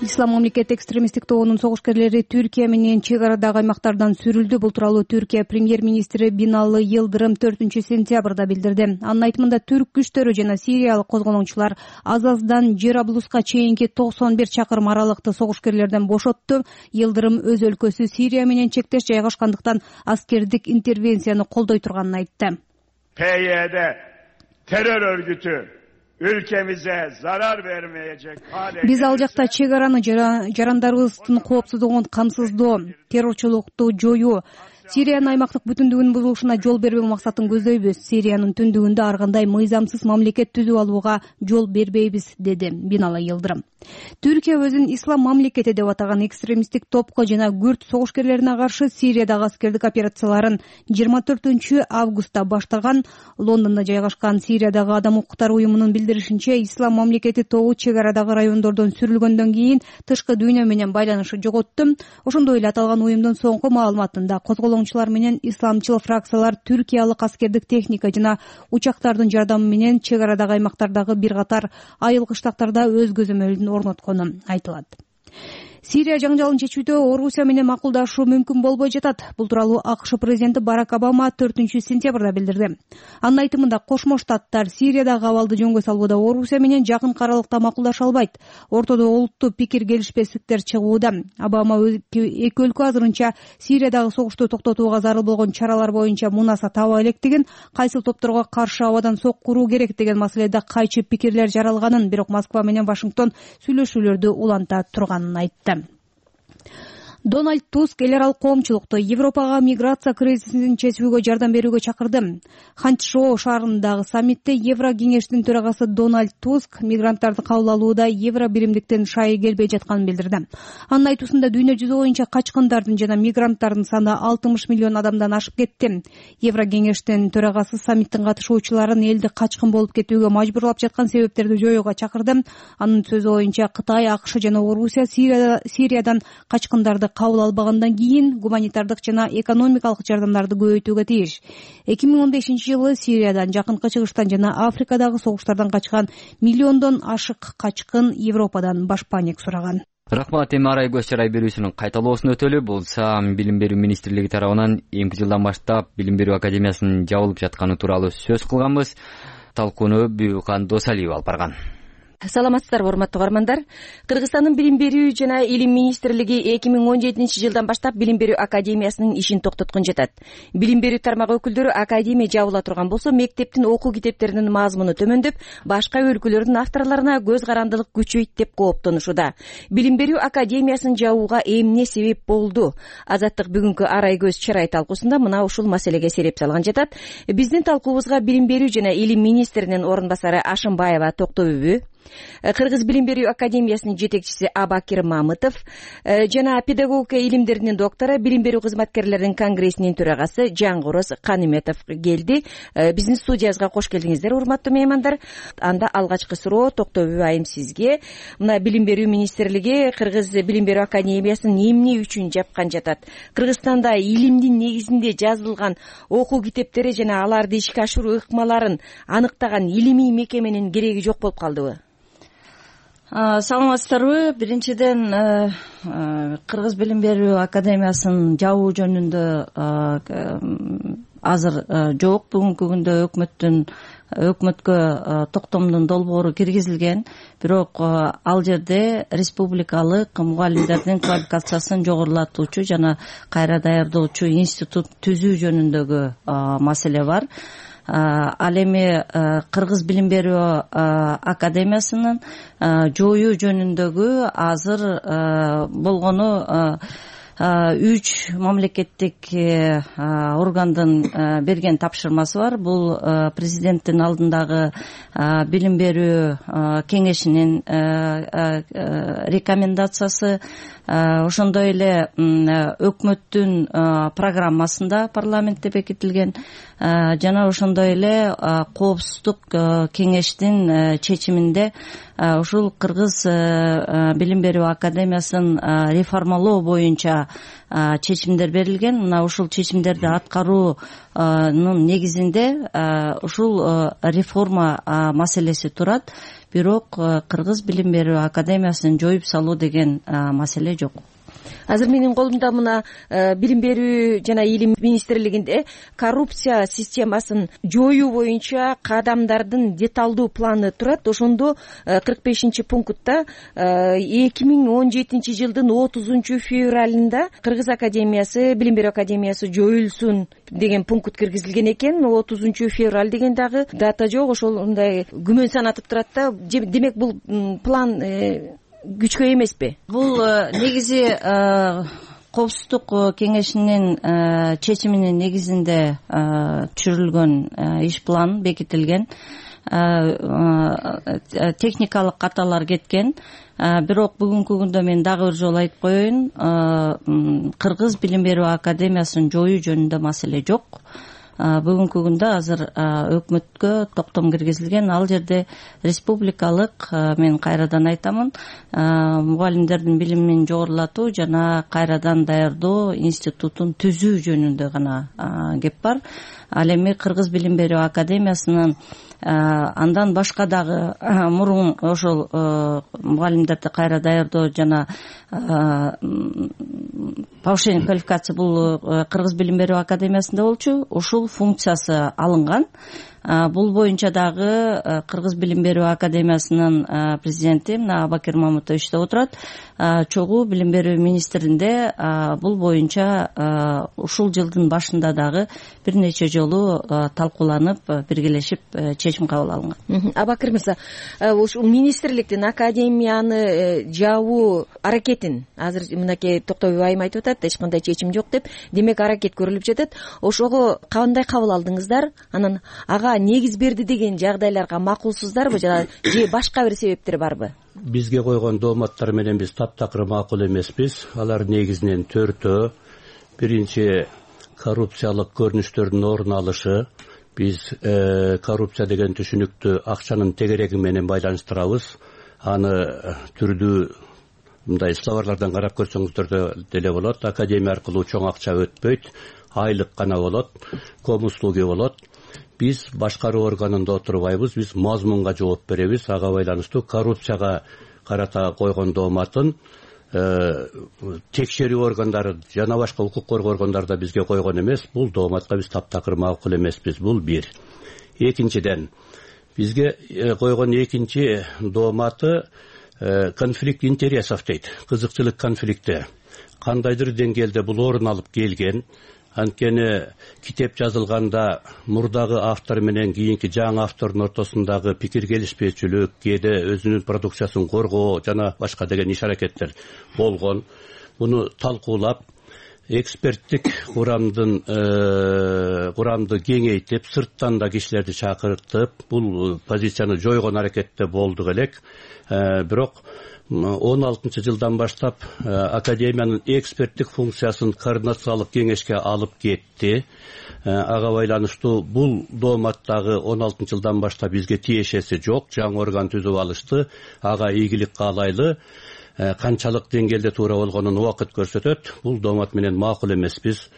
Ислам мамлекет экстремисттик тобунун согушкерлери Түркия менен чек арадагы аймактардан сүрүлдү. Бул тууралуу Түркия премьер-министри Биналы Йылдырым 4-сентябрда билдирди. Анын айтымында түрк күчтөрү жана сириялык козголоңчулар Азаздан Жераблуска чейинки 91 чакырым аралыкты согушкерлерден бошотту. Йылдырым өз өлкөсү Сирия менен чектеш жайгашкандыктан аскердик интервенцияны колдой турганын айтты. PYD terör örgütü ülkemize zarar vermeyecek hale. Биз ал жакта чек араны жарандарыбыздын коопсуздугун камсыздоо, террорчулукту жоюу, Сириянын аймактык бүтүндүгүнүн бузулушуна жол бербөө максатын көздөйбүз. Сириянын түндүгүндө ар кандай мыйзамсыз мамлекет түзүп алууга жол бербейбиз, деди Биналы Йылдырым. Түркия өзүн ислам мамлекети деп атаган экстремисттик топко жана күрд согушкерлерине каршы Сириядагы аскердик операцияларын 24-августта баштаган. Лондондо жайгашкан Сириядагы адам укуктары уюмунун билдиришинче, ислам мамлекети тобу чек арадагы райондордон сүрүлгөндөн кийин тышкы дүйнө менен байланышы жоготту. Ошондой эле аталган уюмдун соңку маалыматында козголоңчулар менен исламчыл фракциялар түркиялык аскердик техника жана учактардын жардамы менен чек арадагы аймактардагы бир катар айыл кыштактарда өз көзөмөлүн орноткону айтылат. Сирия жаңжалын чечүүдө Орусия менен макулдашуу мүмкүн болбой жатат. Бул тууралуу АКШ президенти Барак Обама 4-сентябрда билдирди. Анын айтымында Кошмо Штаттар Сириядагы абалды жөнгө салууда Орусия менен жакын аралыкта макулдаша албайт. Ортодо олуттуу пикир келишпестиктер чыгууда. Обама эки өлкө азырынча Сириядагы согушту токтотууга зарыл болгон чаралар боюнча мунаса таба электигин, кайсыл топторго каршы абадан сок куруу керек деген маселеде кайчы пикирлер жаралганын, бирок Москва менен Вашингтон сүйлөшүүлөрдү уланта турганын айтты. Дональд Туск эл аралык коомчулукту Европага миграция кризисин чечүүгө жардам берүүгө чакырды. Ханчжоу шаарындагы саммитте Евро кеңештин төрагасы Дональд Туск мигранттарды кабыл алууда евро биримдиктен шайы келбей жатканын билдирди. Анын айтуусунда дүйнө жүзү боюнча качкындардын жана мигранттардын саны 60 миллион адамдан ашып кетти. Евро кеңештин төрагасы саммиттин катышуучуларын элди качкын болуп кетүүгө мажбурлап жаткан себептерди жоюуга чакырды. Анын сөзү боюнча Кытай, АКШ жана Орусия Сириядан качкындарды кабыл албагандан кийин гуманитардык жана экономикалык жардамдарды көбөйтүүгө тийиш. 2015-жылы Сириядан, Жакынкы Чыгыштан жана Африкадагы согуштардан качкан миллиондон ашык качкын Европадан башпаанек сураган. Рахмат. Эми арай көз чарай берүүсүнүн кайталоосун өтөлү. Болса Билим берүү министрлиги тарабынан эмки жылдан баштап Билим берүү академиясынын жабылып жатканы тууралуу сөз кылганбыз. Талкууну Бүйүкан Досалиева алып барган. Саламатсыздарбы, урматтуу угармандар. Кыргызстандын Билим берүү жана илим министрлиги 2017-жылдан баштап Билим берүү академиясынын ишин токтоткон жатат. Билим берүү тармагы өкүлдөрү академия жабыла турган болсо, мектептин окуу китептеринин мазмуну төмөндөп, башка өлкөлөрдүн авторлоруна көз карандылык күчөйт деп кооптонушууда. Билим берүү академиясын жабууга эмне себеп болду? Азаттык бүгүнкү арай көз чарай талкуусунда мына ушул маселеге сереп салган жатат. Биздин талкуубузга Билим берүү жана илим министринин орун басары Ашымбаева токтойбу, Кыргыз Билим берүү академиясынын жетекчиси Абакир Мамытов жана педагогика илимдеринин доктору, Билим берүү кызматкерлеринин конгрессинин төрагасы Жангороз Каныметов келди. Биздин студиябызга кош келдиңиздер, урматтуу меймандар. Анда алгачкы суроо Токтойбу айым сизге. Мына Билим берүү министрлиги Кыргыз Билим берүү академиясын эмне үчүн жапкан жатат? Кыргызстанда илимдин негизинде жазылган окуу китептери жана аларды ишке ашыруу ыкмаларын аныктаган илимий мекеменин кереги жок болуп калдыбы? Саламатсыздарбы? Биринчиден, Кыргыз Билим берүү академиясын жабуу жөнүндө азыр жок. Бүгүнкү күндө өкмөткө токтомдун долбоору киргизилген, бирок ал жерде республикалык мугалимдердин квалификациясын жогорулатуучу жана кайра даярдоочу институт түзүү жөнүндөгү маселе бар. Ал эми Кыргыз Билим берүү академиясынын жоюу жөнүндөгү азыр болгону 3 мамлекеттик органдын берген тапшырмасы бар. Бул президенттин алдындагы билим берүү кеңешинин рекомендациясы, ошондой эле өкмөттүн программасында парламентте бекитилген, жана ошондой эле коопсуздук кеңештин чечиминде ушул Кыргыз Билим берүү академиясын реформалоо боюнча чечимдер берилген. Мына ушул чечимдерди аткаруунун негизинде ушул реформа маселеси турат. Бирок Кыргыз Билим берүү академиясын жоюп салуу деген маселе жок. Азыр менин колумда мына Билим берүү жана илим министрлигинде коррупция системасын жоюу боюнча кадамдардын деталдуу планы турат. Ошондо 45-пунктта 2017 жылдын 30 февралында Кыргыз академиясы, Билим берүү академиясы жоюлсун деген пункт киргизилген экен. 30 февраль деген дагы дата жок, ошондой күмөн санатып турат да. Демек бул план күчкө эмеспи? Бул негизи коопсуздук кеңешинин чечиминин негизинде түшүрүлгөн иш план бекитилген. Техникалык каталар кеткен. Бирок бүгүнкү күндө мен дагы бир жолу айтып коеюн, Кыргыз Билим берүү академиясын жоюу жөнүндө маселе жок. Бүгүнкү күндө азыр өкмөткө токтом киргизилген. Ал жерде республикалык, мен кайрадан айтамын, мугалимдердин билимин жогорулатуу жана кайрадан даярдоо институтун түзүү жөнүндө гана кеп бар. Ал эми Кыргыз Билим берүү академиясынын андан башка дагы мурун ошол мугалимдерди кайра даярдоо жана повышение квалификации бул Кыргыз Билим берүү академиясында болчу. Ушул функциясы алынган. Бул боюнча дагы Кыргыз Билим берүү академиясынын президенти Абакир Мамытов иштеп отурат. Чогуу билим берүү министринде бул боюнча ушул жылдын башында дагы бир нече жолу талкууланып, биргелешип чечим кабыл алынган. Абакир мырза, ушул министрликтин академияны жабуу аракетин азыр мынакей Токтойбу айым айтып атат, эч кандай чечим жок деп. Демек аракет көрүлүп жатат. Ошого кандай кабыл алдыңыздар? Анан ага негиз берди деген жагдайларга макулсуздарбы же башка бир себептер барбы? Бизге койгон дооматтар менен биз таптакыр макул эмеспиз. Алар негизинен 4-төө. Биринчи, коррупциялык көрүнүштөрдүн орун алышы. Биз коррупция деген түшүнүктү акчанын тегереги менен байланыштырабыз. Аны түрдүү мындай словарлардан карап көрсөңүздөр деле болот. Академия аркылуу чоң акча өтпөйт, айлык гана болот, комуслуги болот. Биз башкаруу органында отурбайбыз, биз мазмунга жооп беребиз. Ага байланыштуу коррупцияга карата койгон дооматын текшерүү органдары жана башка укук коргоо органдары да бизге койгон эмес. Бул дооматка биз таптакыр макул эмеспиз. Бул бир. Экинчиден, бизге койгон экинчи дооматы конфликт интересов дейт. Кызыкчылык конфликти кандайдыр деңгээлде бул орун алып келген. Анткени китеп жазылганда мурдагы автор менен кийинки жаңы автордун ортосундагы пикир келишпөөчүлүк, кээде өзүнүн продукциясын коргоо жана башка деген иш аракеттер болгон. Муну талкуулап, эксперттик курамды кеңейтип, сырттан да кишилерди чакыртып, бул позицияны жойгон аракетте болдук элек. Бирок 16-жылдан баштап академиянын эксперттик функциясын координациялык кеңешке алып кетти. Ага байланыштуу бул дооматтагы 16-жылдан баштап бизге тиешеси жок, жаңы орган түзүп алышты. Ага ийгилик каалайлы. Канчалык деңгээлде туура болгонун убакыт көрсөтөт. Бул доомат менен макул эмеспиз.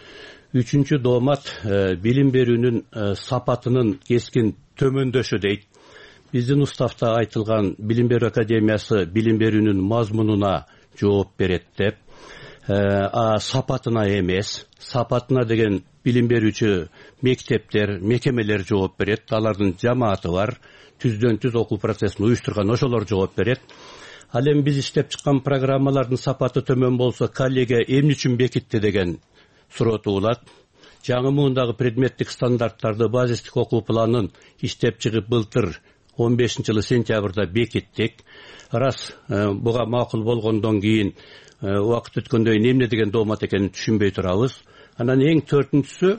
Үчүнчү доомат билим берүүнүн сапатынын кескин төмөндөшү дейт. Биздин уставта айтылган билим берүү академиясы билим берүүнүн мазмунуна жооп берет деп, сапатына эмес. Сапатына деген билим берүүчү мектептер, мекемелер жооп берет. Алардын жамааты бар. Түздөн түз окуу процессин уюштурган ошолор жооп берет. Ал эми биз иштеп чыккан программалардын сапаты төмөн болсо, коллегия эмне үчүн бекитти деген суроо туулат. Жаңы муундагы предметтик стандарттарды, базистик окуу планын иштеп чыгып былтыр 15-жылы сентябрда бекиттик. Раз буга макул болгондон кийин убакыт өткөндөн кийин эмне деген доомат экенин түшүнбөй турабыз. Анан эң төртүнчүсү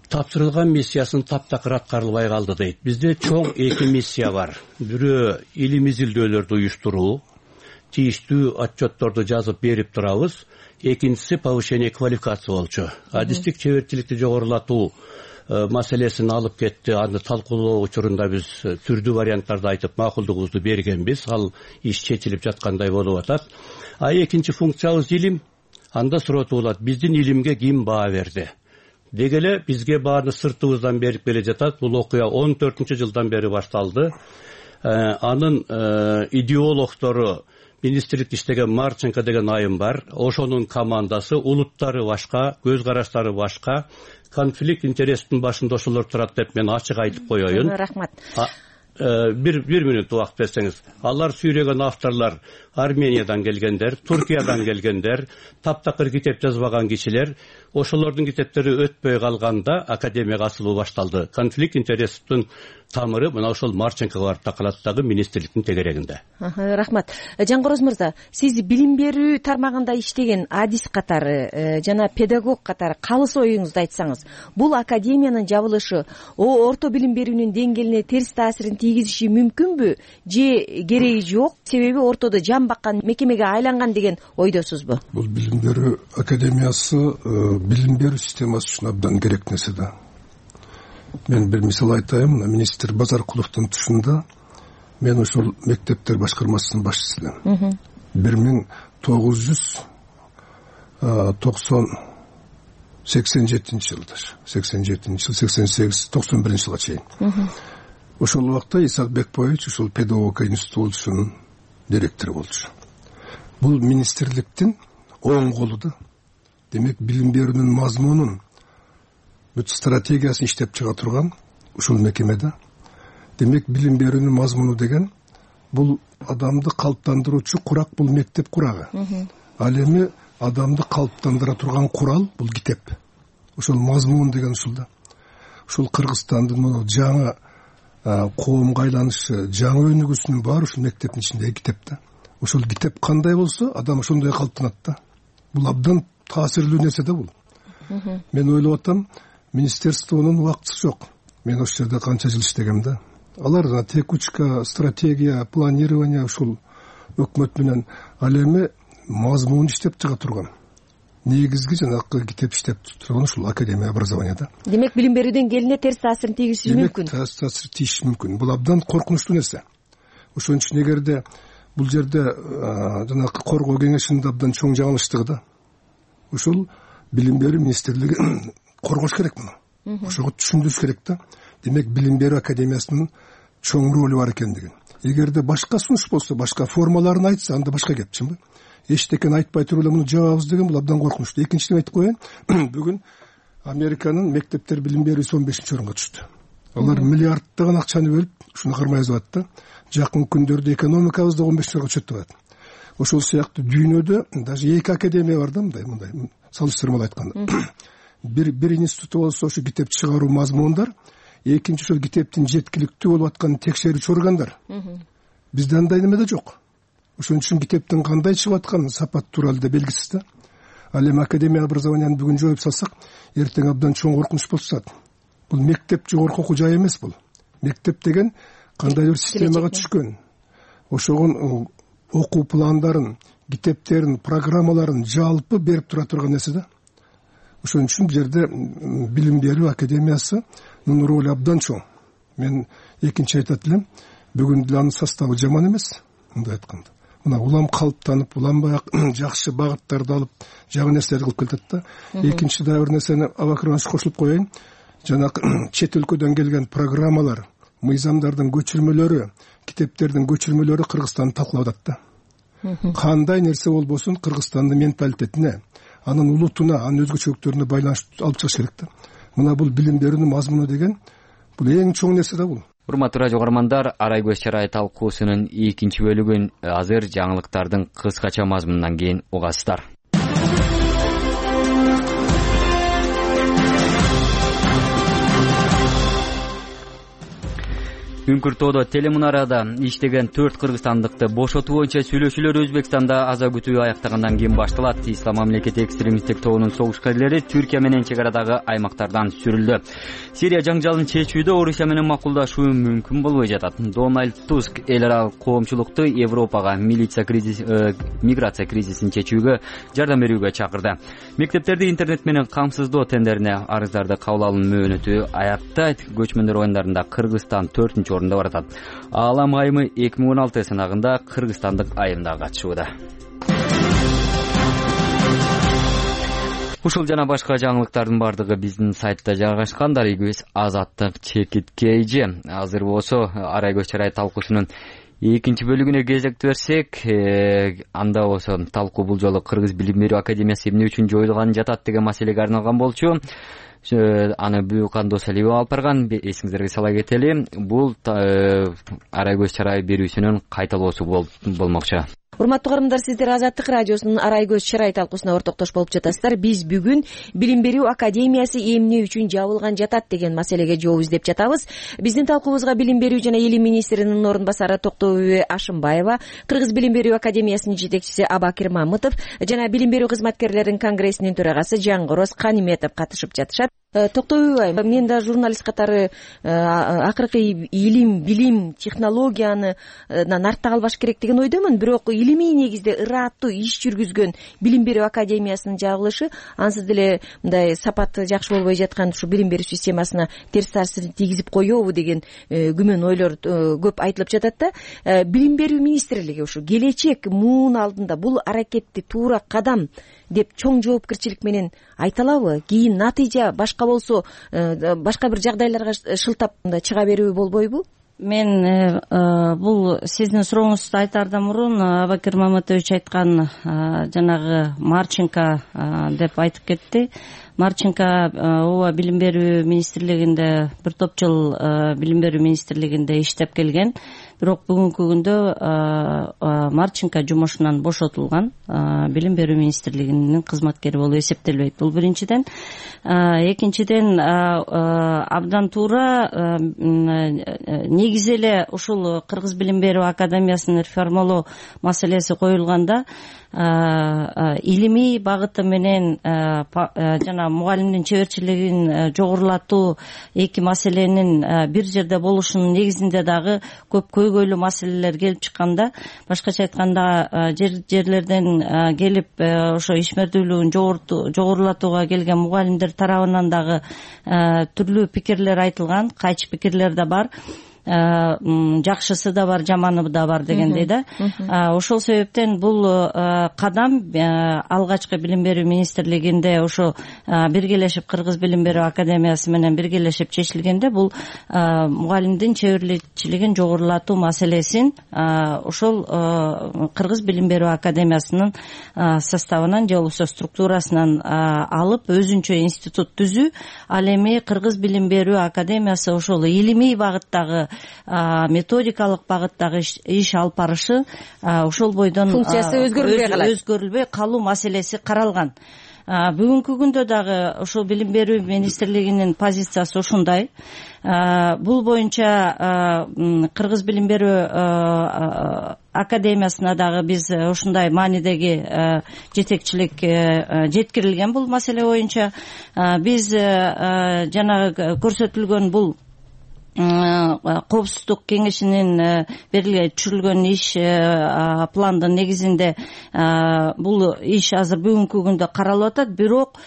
тапшырылган миссиясын таптакыр аткарылбай калды дейт. Бизде чоң эки миссия бар. Бирөө илим изилдөөлөрдү уюштуруу, тийиштүү отчетторду жазып берип турабыз. Экинчиси повышение квалификации болчу. Адистик чеберчиликти жогорулатуу маселесин алып кетти. Аны талкуулоо учурунда биз түрдүү варианттарды айтып макулдугубузду бергенбиз. Ал иш чечилип жаткандай болуп атат. Экинчи функциябыз илим. Анда суроо туулат: биздин илимге ким баа берди? Деги эле бизге бааны сыртыбыздан берип келе жатат. Бул окуя 14-жылдан бери башталды. Анын идеологдору министрликте иштеген Марченко деген айым бар. Ошонун командасы, улуттары башка, көз караштары башка. Конфликт интерестин башында ошолор турат деп мен ачык айтып коеюн. Рахмат. Бир мүнөт убакыт берсеңиз. Алар сүйрөгөн авторлор Армениядан келгендер, Туркиядан келгендер, таптакыр китеп жазбаган кишилер. Ошолордун китептери өтпөй калганда академияга асылуу башталды. Конфликт интерестин тамыры мына ошол Марченкого барып такалат дагы министрликтин тегерегинде. Рахмат. Жангороз мырза, сиз билим берүү тармагында иштеген адис катары жана педагог катары калыс оюңузду айтсаңыз, бул академиянын жабылышы орто билим берүүнүн деңгээлине терс таасирин тийгизиши мүмкүнбү же кереги жок? Себеби ортодо жан баккан мекемеге айланган деген ойдосузбу? Бул билим берүү академиясы билим берүү системасы үчүн абдан керек нерсе да. Мен бир мисал айтайын. Министр Базаркуловдун тушунда мен ошол мектептер башкармасынын башчысымын. 1987-жылдар, 88-91-жылга чейин. Ошол убакта Исак Бекбоевич ушул педагогика институтунун директору болчу. Бул министрликтин оң колу да. Демек билим берүүнүн мазмунун бүт стратегиясын иштеп чыга турган ушул мекемеде. Демек билим берүүнүн мазмуну деген бул адамды калыптандыруучу курак, бул мектеп курагы. Ал эми адамды калыптандыра турган курал бул китеп. Ошол мазмун деген ушул да. Ушул Кыргызстандын жаңы коомго айланышы, жаңы өнүгүүсүнүн баары ушул мектептин ичиндеги китеп да. Ошол китеп кандай болсо, адам ошондой калыптанат да. Бул абдан таасирлүү нерсе да бул. Мен ойлоп атам, министерствонун убактысы жок. Мен ошол жерде канча жыл иштегем да. Алар текучка, стратегия, планирование ушул өкмөт менен ал эми мазмун иштеп чыга турган. Негизги жанакы китеп иштеп турган ушул академия образованияда. Демек билим берүү деңгээлине терс таасирин тийгизиши мүмкүн. Демек терс таасир тийиши мүмкүн. Бул абдан коркунучтуу нерсе. Ошон үчүн эгерде бул жерде жанакы коргоо кеңешинин абдан чоң жаңылыштыгы да. Ушул билим берүү министрлиги коргош керек муну. Ошого түшүндүрүш керек да. Демек билим берүү академиясынын чоң ролу бар экендигин. эгерде башка сунуш болсо, башка формаларын айтса, анда башка кеп, чынбы? Эчтекени айтпай туруп эле муну жабабыз деген бул абдан коркунучтуу. Экинчиден айтып коеюн, бүгүн Американын мектептер билим берүүсү 15-орунга түштү. Алар миллиарддаган акчаны бөлүп, ушуну кармай жазып атты. Жакын күндөрдө экономикабыз да 15-орунга түшөт деп атат. Ошол сыяктуу дүйнөдө даже 2 академия бар да, мындай салыштырмалуу айтканда. Бир институт болсо ошо китеп чыгаруу мазмундар, экинчи ошол китептин жеткиликтүү болуп атканын текшерүүчү органдар. Бизде андай неме да жок. Ошон үчүн китептин кандай чыгып атканы сапат тууралуу да белгисиз да. Ал эми академия образованияны бүгүн жоюп салсак, эртең абдан чоң коркунуч болуп чыгат. Бул мектеп жогорку окуу жай эмес бул. Мектеп деген кандайдыр системага түшкөн. Ошогон окуу пландарын, китептерин, программаларын жалпы берип тура турган нерсе да. Ошон үчүн бул жерде билим берүү академиясынын ролу абдан чоң. Мен экинчи айтат элем, бүгүн деле анын составы жаман эмес, мындай айтканда. Мына улам калыптанып, улам баягы жакшы багыттарды алып, жаңы нерселерди кылып келатат да. Экинчи да бир нерсени абакырман кошулуп коеюн. Жанагы чет өлкөдөн келген программалар, мыйзамдардын көчүрмөлөрү, китептердин көчүрмөлөрү Кыргызстанды талкалап атат да. Кандай нерсе болбосун Кыргызстандын менталитетине, анын улутуна, анын өзгөчөлүктөрүнө байланыш алып чыгыш керек да. Мына бул билим берүүнүн мазмуну деген бул эң чоң нерсе да бул. Урматтуу радио угармандар, Арай көз чарай талкуусунун экинчи бөлүгүн азыр жаңылыктардын кыскача мазмунунан кийин угасыздар. Үңкүр тоодо телемунарада иштеген 4 кыргызстандыкты бошотуу боюнча сүйлөшүүлөр Өзбекстанда аза күтүү аяктагандан кийин башталат. Ислам мамлекети экстремисттик тобунун согушкерлери Түркия менен чек арадагы аймактардан сүрүлдү. Сирия жаңжалын чечүүдө Орусия менен макулдашуу мүмкүн болбой жатат. Дональд Туск эл аралык коомчулукту Европага миграция кризисин чечүүгө жардам берүүгө чакырды. Мектептерди интернет менен камсыздоо тендерине арыздарды кабыл алуу мөөнөтү аяктайт. Көчмөндөр оюндарында Кыргызстан 4-орунда баратат. Аалам айымы 2016 сынагында кыргызстандык айымда катышууда. Ушул жана башка жаңылыктардын бардыгы биздин сайтта жайгашкан. Дарыгыбыз Азаттык Чекиткейжи. Азыр болсо Арай көз чарай талкуусунун экинчи бөлүгүнө кезек берсек, анда болсо талкуу бул жолу Кыргыз билим берүү академиясы эмне үчүн жоюлган жатат деген маселеге арналган болчу. Аны Бүкан Досалиева алып барган. Эсиңиздерге сала кетели, бул Арай көз чарай берүүсүнүн кайталоосу болмокчу. Урматтуу угармандар, сиздер Азаттык радиосунун Арай көз чарай талкуусуна ортоктош болуп жатасыздар. Биз бүгүн билим берүү академиясы эмне үчүн жабылган жатат деген маселеге жооп издеп жатабыз. Биздин талкуубузга билим берүү жана илим министринин орун басары Токтобүбү Ашымбаева, Кыргыз билим берүү академиясынын жетекчиси Абакир Мамытов жана билим берүү кызматкерлеринин конгрессинин төрагасы Жаңгороз Каниметов катышып жатышат. Токтобүбү айым, мен да журналист катары акыркы илим, билим, технологияны артта калбаш керек деген ойдомун. Бирок илимий негизде ырааттуу иш жүргүзгөн билим берүү академиясынын жабылышы ансыз деле мындай сапаты жакшы болбой жаткан ушу билим берүү системасына терс таасирин тийгизип коебу деген күмөн ойлор көп айтылып жатат да. Билим берүү министрлиги ушу келечек муун алдында бул аракетти туура кадам деп чоң жоопкерчилик менен айта алабы? Кийин натыйжа башка болсо башка бир жагдайларга шылтап чыга берүү болбойбу? Мен бул сиздин сурооңузду айтаардан мурун Абакир Мамытович айткан жанагы Марченко деп айтып кетти. Марченко ооба билим берүү министрлигинде бир топ жыл билим берүү министрлигинде иштеп келген. Бирок бүгүнкү күндө Марченко жумушунан бошотулган, билим берүү министрлигинин кызматкери болуп эсептелбейт. Бул биринчиден. Экинчиден абдан туура негизи эле ушул Кыргыз билим берүү академиясынын реформалоо маселеси коюлганда илимий багыты менен жана мугалимдин чеберчилигин жогорулатуу эки маселенин бир жерде болушунун негизинде дагы көп көйгөйлүү маселелер келип чыкканда, башкача айтканда жерлерден келип ошо ишмердүүлүгүн жогорулатууга келген мугалимдер тарабынан дагы түрлүү пикирлер айтылган, кайчы пикирлер да бар. жакшысы да бар, жаманы да бар дегендей да. Ошол себептен бул кадам алгачкы билим берүү министрлигинде ошо биргелешип Кыргыз билим берүү академиясы менен биргелешип чечилгенде бул мугалимдин чеберчилигин жогорулатуу маселесин ошол Кыргыз билим берүү академиясынын составынан же болбосо структурасынан алып өзүнчө институт түзүү, ал эми Кыргыз билим берүү академиясы ошол илимий багыттагы, методикалык багыттагы иш алып барышы ошол бойдон функциясы өзгөрүлбөй калуу маселеси каралган. Бүгүнкү күндө дагы ошол билим берүү министрлигинин позициясы ушундай. Бул боюнча Кыргыз билим берүү академиясына дагы биз ушундай маанидеги жетекчилик жеткирилген бул маселе боюнча. Биз жанагы көрсөтүлгөн бул коопсуздук кеңешинин түшүрүлгөн иш пландын негизинде бул иш азыр бүгүнкү күндө каралып атат. Бирок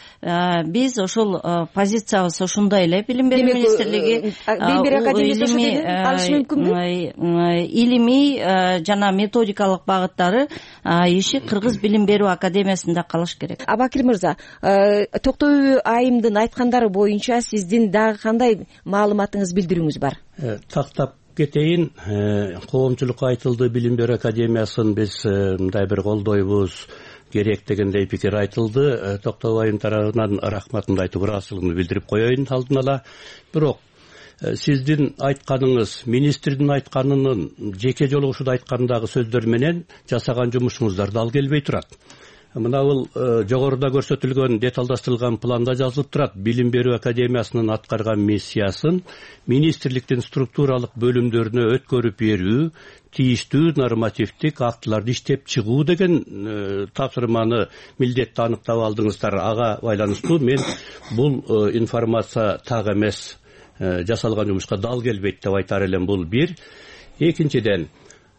биз ошол позициябыз ушундай эле. Билим берүү министрлиги билим берүү академиясы алышы мүмкүнбү? Илимий жана методикалык багыттары иши Кыргыз билим берүү академиясында калыш керек. Абакир мырза, Токтоюбү айымдын айткандары боюнча сиздин дагы кандай маалыматыңыз, билдирүүңүз бар? Тактап кетейин. Коомчулукка айтылды, билим берүү академиясын биз мындай бир колдойбуз керек дегендей пикир айтылды. Токтогул айым тарабынан рахматымды айтып, ыраазычылыгымды билдирип коеюн алдын ала. Бирок сиздин айтканыңыз, министрдин айтканынын жеке жолугушууда айткандагы сөздөр менен жасаган жумушуңуздар дал келбей турат. Мына бул жогоруда көрсөтүлгөн деталдаштырылган планда жазылып турат. Билим берүү академиясынын аткарган миссиясын министрликтин структуралык бөлүмдөрүнө өткөрүп берүү, тийиштүү нормативдик актыларды иштеп чыгуу деген тапшырманы, милдетти аныктап алдыңыздар. Ага байланыштуу мен бул информация так эмес, жасалган жумушка дал келбейт деп айтар элем. Бул бир. Экинчиден,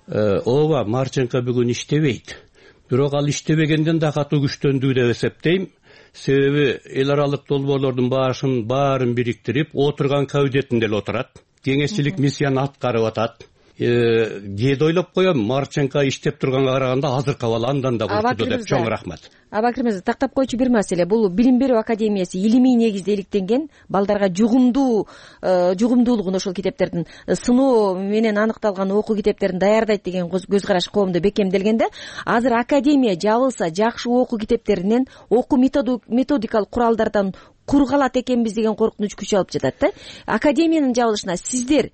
ооба, Марченко бүгүн иштебейт. Бирок ал иштебегенден да катуу күчтөндү деп эсептейм. Себеби эл аралык долбоорлордун баарын бириктирип, отурган кабинетинде эле отурат. Кеңешчилик миссияны аткарып атат. Кээде ойлоп коем, Марченко иштеп турганга караганда азыркы абал андан да көчтү деп. Чоң рахмат. Абакир мырза, тактап койчу бир маселе. Бул билим берүү академиясы илимий негизде иликтенген, балдарга жугумдуулугун ошол китептердин сыноо менен аныкталган окуу китептерин даярдайт деген көз караш коомдо бекемделгенде, азыр академия жабылса жакшы окуу китептеринен, окуу методикалык куралдардан кур калат экенбиз деген коркунуч күч алып жатат да. Академиянын жабылышына сиздер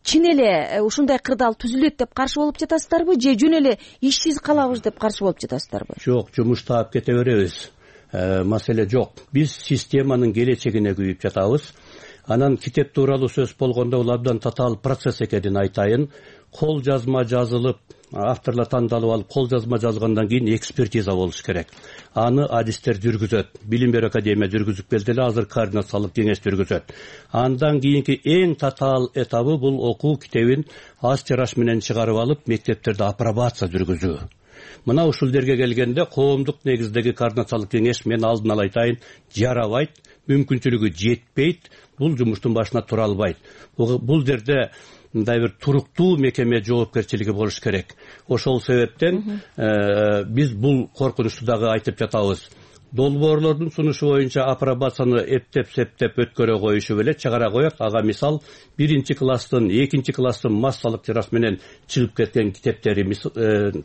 чын эле ушундай кырдаал түзүлөт деп каршы болуп жатасыздарбы, же жөн эле ишсиз калабыз деп каршы болуп жатасыздарбы? Жок, жумуштап кете беребиз. Маселе жок. Биз системанын келечегине күйүп жатабыз. Анан китеп тууралуу сөз болгондо бул абдан татаал процесс экенин айтайын. Кол жазма жазылып, авторлор тандалып алып, кол жазма жазгандан кийин экспертиза болуш керек. Аны адистер жүргүзөт. Билим берүү академия жүргүзүп келди эле, азыр координациялык кеңеш жүргүзөт. Андан кийинки эң татаал этабы бул окуу китебин аз тираж менен чыгарып алып, мектептерде апробация жүргүзүү. Мына ушул жерге келгенде коомдук негиздеги координациялык кеңеш, мен алдын ала айтайын, жарабайт, мүмкүнчүлүгү жетпейт, бул жумуштун башына тура албайт. Бул жерде мындай бир туруктуу мекеме жоопкерчилиги болуш керек. Ошол себептен биз бул коркунучту дагы айтып жатабыз. Долбоорлордун сунушу боюнча апробацияны эптеп-септеп өткөрө коюшуп эле чыгара коет. Ага мисал 1-класстын, 2-класстын массалык тираж менен чыгып кеткен китептери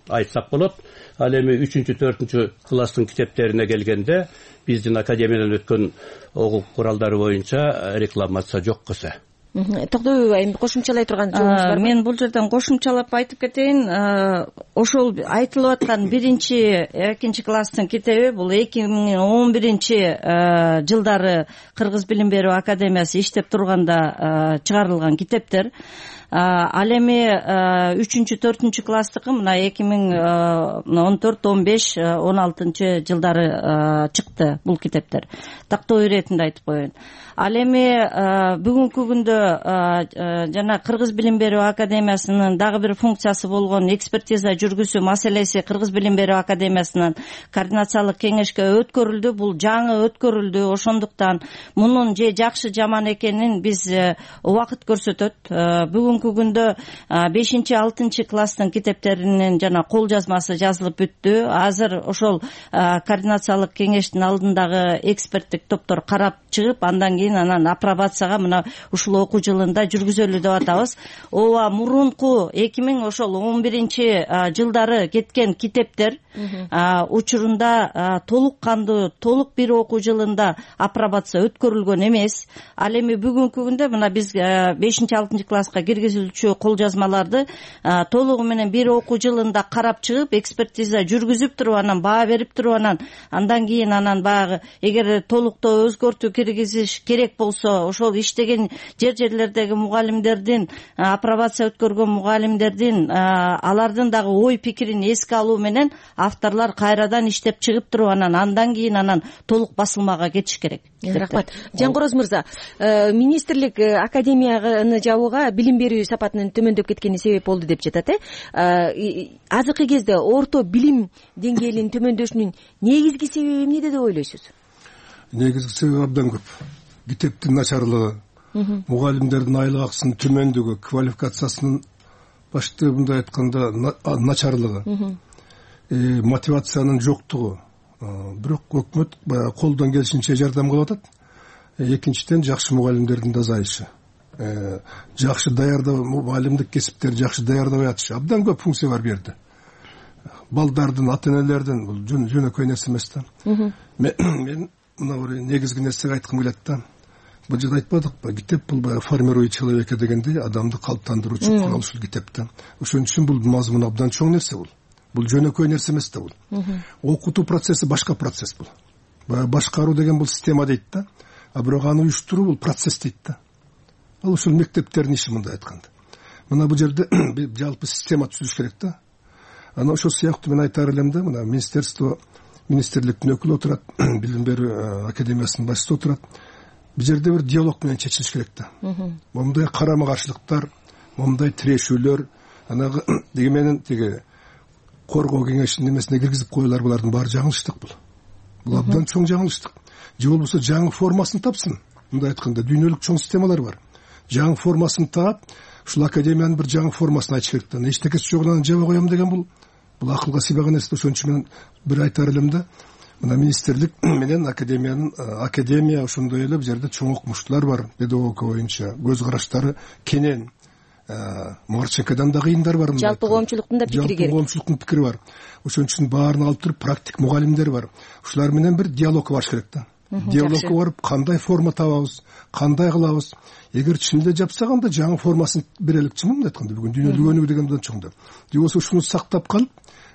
айтсак болот. Ал эми 3-4-класстын китептерине келгенде биздин академиядан өткөн окуу куралдары боюнча рекламация жок кыса. Токтоюб айым, кошумчалай турган жообуңуз барбы? Мен бул жерден кошумчалап айтып кетейин. Ошол айтылып аткан 1-2 класстын китеби бул 2011 жылдары Кыргыз билим берүү академиясы иштеп турганда чыгарылган китептер. Ал эми 3-4 класстыкы мына 2014-15, 16 жылдары чыкты бул китептер. Тактоо иретинде айтып коеюн. Ал эми бүгүнкү күндө жана Кыргыз билим берүү академиясынын дагы бир функциясы болгон экспертиза жүргүзүү маселеси Кыргыз билим берүү академиясынын координациялык кеңешке өткөрүлдү. Бул жаңы өткөрүлдү. Ошондуктан мунун же жакшы жаман экенин биз убакыт көрсөтөт. Бүгүнкү күндө 5-6 класстын китептеринин жана кол жазмасы жазылып бүттү. Азыр ошол координациялык кеңештин алдындагы эксперттик топтор карап чыгып, андан кийин анан апробацияга мына ушул окуу жылында жүргүзөлү деп атабыз. Ооба, мурунку 2011 жылдары кеткен китептер учурунда толук кандуу, толук бир окуу жылында апробация өткөрүлгөн эмес. Ал эми бүгүнкү күндө мына биз 5-6 класска киргизилчү кол жазмаларды толугу менен бир окуу жылында карап чыгып, экспертиза жүргүзүп туруп, анан баа берип туруп, андан кийин баягы эгер толуктоо өзгөртүү киргизиш керек болсо, ошол иштеген жерлердеги мугалимдердин, апробация өткөргөн мугалимдердин алардын дагы ой пикирин эске алуу менен авторлор кайрадан иштеп чыгып туруп, андан кийин толук басылмага кетиш керек. Рахмат. Жангороз мырза, министрлик академияны жабууга билим берүү сапатынын төмөндөп кеткени себеп болду деп жатат. Азыркы кезде орто билим деңгээлинин төмөндөшүнүн негизги себеби эмнеде деп ойлойсуз? Негизги себеби абдан көп. Китептин начарлыгы, мугалимдердин айлык акысынын төмөндүгү, квалификациясынын баштабында айтканда начарлыгы, мотивациянын жоктугу. Бирок өкмөт баягы колдон келишинче жардам кылып атат. Экинчиден жакшы мугалимдердин азайышы. Жакшы даярдоо, мугалимдик кесиптерди жакшы даярдабай атышы. Абдан көп функция бар бу жерде. Балдардын, ата-энелердин бул жөнөкөй нерсе эмес да. Мен мына бир негизги нерсеге айткым келет да. Бул жерде айтпадыкпы, китеп бул баягы формирует человека дегендей, адамды калыптандыруучу курал ушул китепте. Ошон үчүн бул мазмун абдан чоң нерсе бул. Бул жөнөкөй нерсе эмес да бул. Окутуу процесси башка процесс бул. Башкаруу деген бул система дейт да. Бирок аны уюштуруу бул процесс дейт да. Ал ушул мектептердин иши мындай айтканда. Мына бул жерде жалпы система түзүш керек да. Ана ошол сыяктуу мен айтар элем да, мына министрликтин өкүлү отурат, билим берүү академиясынын башчысы отурат. Бул жерде бир диалог менен чечилиш керек да. Момундай карама каршылыктар, момундай тирешүүлөр, деги менен коргоо кеңешинин немесине киргизип коюлар, булардын баары жаңылыштык бул. Бул абдан чоң жаңылыштык. Же болбосо жаңы формасын тапсын. Мындай айтканда дүйнөлүк чоң системалар бар. Жаңы формасын таап, ушул академиянын бир жаңы формасын айтыш керек да. Эчтекеси жок анан жаба коем деген бул акылга сыйбаган нерсе. Ошон үчүн мен бир айтар элем да, мына министрлик менен академия ошондой эле бул жерде чоң окумуштуулар бар, педагогика боюнча көз караштары кенен. Марченкодан да кыйындар бар. Жалпы коомчулуктун да пикири керек. Жалпы коомчулуктун пикири бар. Ошон үчүн баарын алып туруп практик мугалимдер бар. Ушулар менен бир диалогко барыш керек да. Диалогко барып, кандай форма табабыз, кандай кылабыз. Эгер чынында жапсак, анда жаңы формасын берелик, чынында айтканда бүгүн дүйнөлүк өнүгүү деген абдан чоң да. Же болбосо ушуну сактап калып,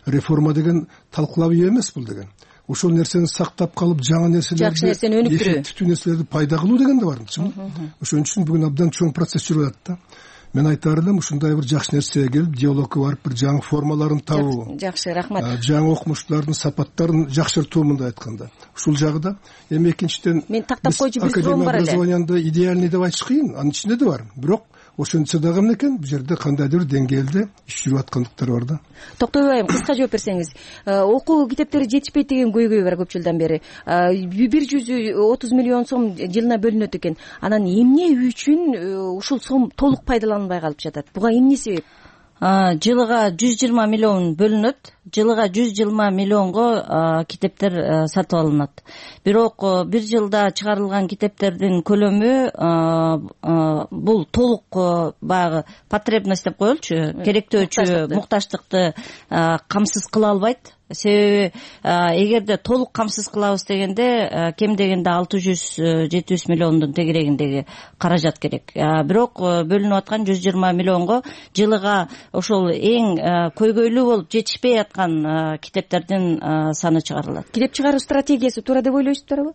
реформа деген талкылап эмес бул деген. Ошол нерсени сактап калып, жаңы нерселерди, жакшы нерсени өнүктүрүү, эффективдүү нерселерди пайда кылуу деген да бар. Ошон үчүн бүгүн абдан чоң процесс жүрүп атат да. Мен айтар элем, ушундай бир жакшы нерсеге келип, диалогко барып, бир жаңы формаларын табуу. Жакшы, рахмат. Жаңы окумуштуулардын сапаттарын жакшыртуу, мындай айтканда. Ушул жагы эми экинчиден мен тактап койчу бир суроом бар эле. Образованияны идеальный деп айтыш кыйын, анын ичинде да бар. Бирок ошончо дагы эмне экен, бул жерде кандайдыр бир деңгээлде иш жүрүп аткандыктар бар да. Токтобай айым, кыска жооп берсеңиз. Окуу китептери жетишпейт деген көйгөй бар көп жылдан бери. 130 миллион сом жылына бөлүнөт экен. Анан эмне үчүн ушул сом толук пайдаланылбай калып жатат? Буга эмне себеп? Жылыга 120 миллион бөлүнөт. Жылыга 120 миллионго китептер сатып алынат. Бирок бир жылда чыгарылган китептердин көлөмү бул толук баягы потребность деп коелучу, керектөөчү муктаждыкты камсыз кыла албайт. Себеби эгерде толук камсыз кылабыз дегенде кем дегенде 600-700 миллиондун тегерегиндеги каражат керек. Бирок бөлүнүп аткан 120 миллионго жылыга ошол эң көйгөйлүү болуп жетишпей аткан китептердин саны чыгарылат. Китеп чыгаруу стратегиясы туура деп ойлойсуздарбы?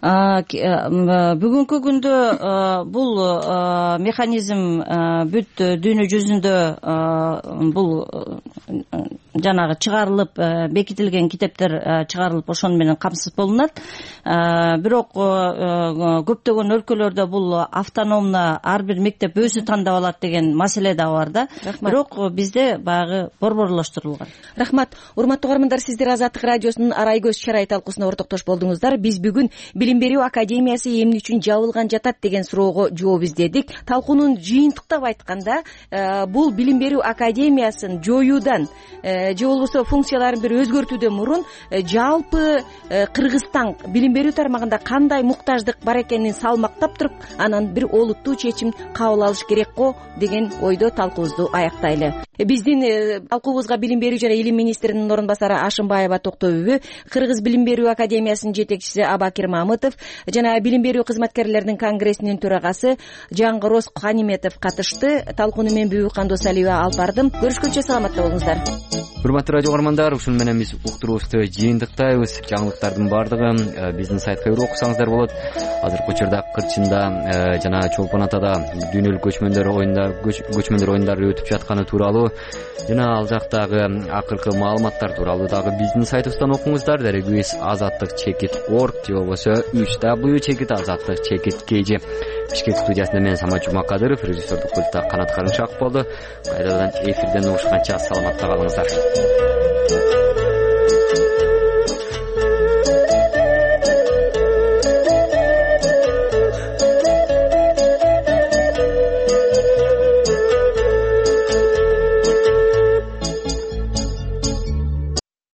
бүгүнкү күндө бул механизм бүт дүйнө жүзүндө бул жанагы чыгарылып бекитилген китептер чыгарылып ошону менен камсыз болунат. Бирок көптөгөн өлкөлөрдө бул автономно ар бир мектеп өзү тандап алат деген маселе да бар да. Бирок бизде баягы борборлоштурулган. Рахмат. Урматтуу угармандар, сиздер Азаттык радиосунун Арай көз чарай талкуусуна ортоктош болдуңуздар. Биз бүгүн Билим берүү академиясы эмне үчүн жабылган жатат деген суроого жооп издедик. Талкуунун жыйынтыктап айтканда, бул Билим берүү академиясын жоюудан же болбосо функцияларын бир өзгөртүүдөн мурун жалпы Кыргызстан билим берүү тармагында кандай муктаждык бар экенин салмактап туруп, анан бир олуттуу чечим кабыл алыш керек го деген ойдо талкуубузду аяктайлы. Биздин талкуубузга Билим берүү жана илим министринин орун басары Ашымбаева Токтобүбү, Кыргыз билим берүү академиясынын жетекчиси Абакир Мамытов жана билим берүү кызматкерлеринин конгрессинин төрагасы Жаңгырос Каниметов катышты. Талкууну мен Бүбү Кандосалиева алып бардым. Көрүшкөнчө саламатта болуңуздар. Урматтуу радио угармандар, ушуну менен биз уктуруубузду жыйынтыктайбыз. Жаңылыктардын баардыгы биздин сайтка кирип окусаңыздар болот. Азыркы учурда Кырчында жана Чолпон Атада дүйнөлүк көчмөндөр оюндары өтүп жатканы тууралуу жана ал жактагы акыркы маалыматтар тууралуу дагы биздин сайтыбыздан окуңуздар. Дарегибиз azatlyk.org же болбосо www.azatlyk.kg. Бишкек студиясында мен Самат Жумакадыров, режиссердук пультта Канат Карымшаков болду. Кайрадан эфирден угушканча саламатта калыңыздар.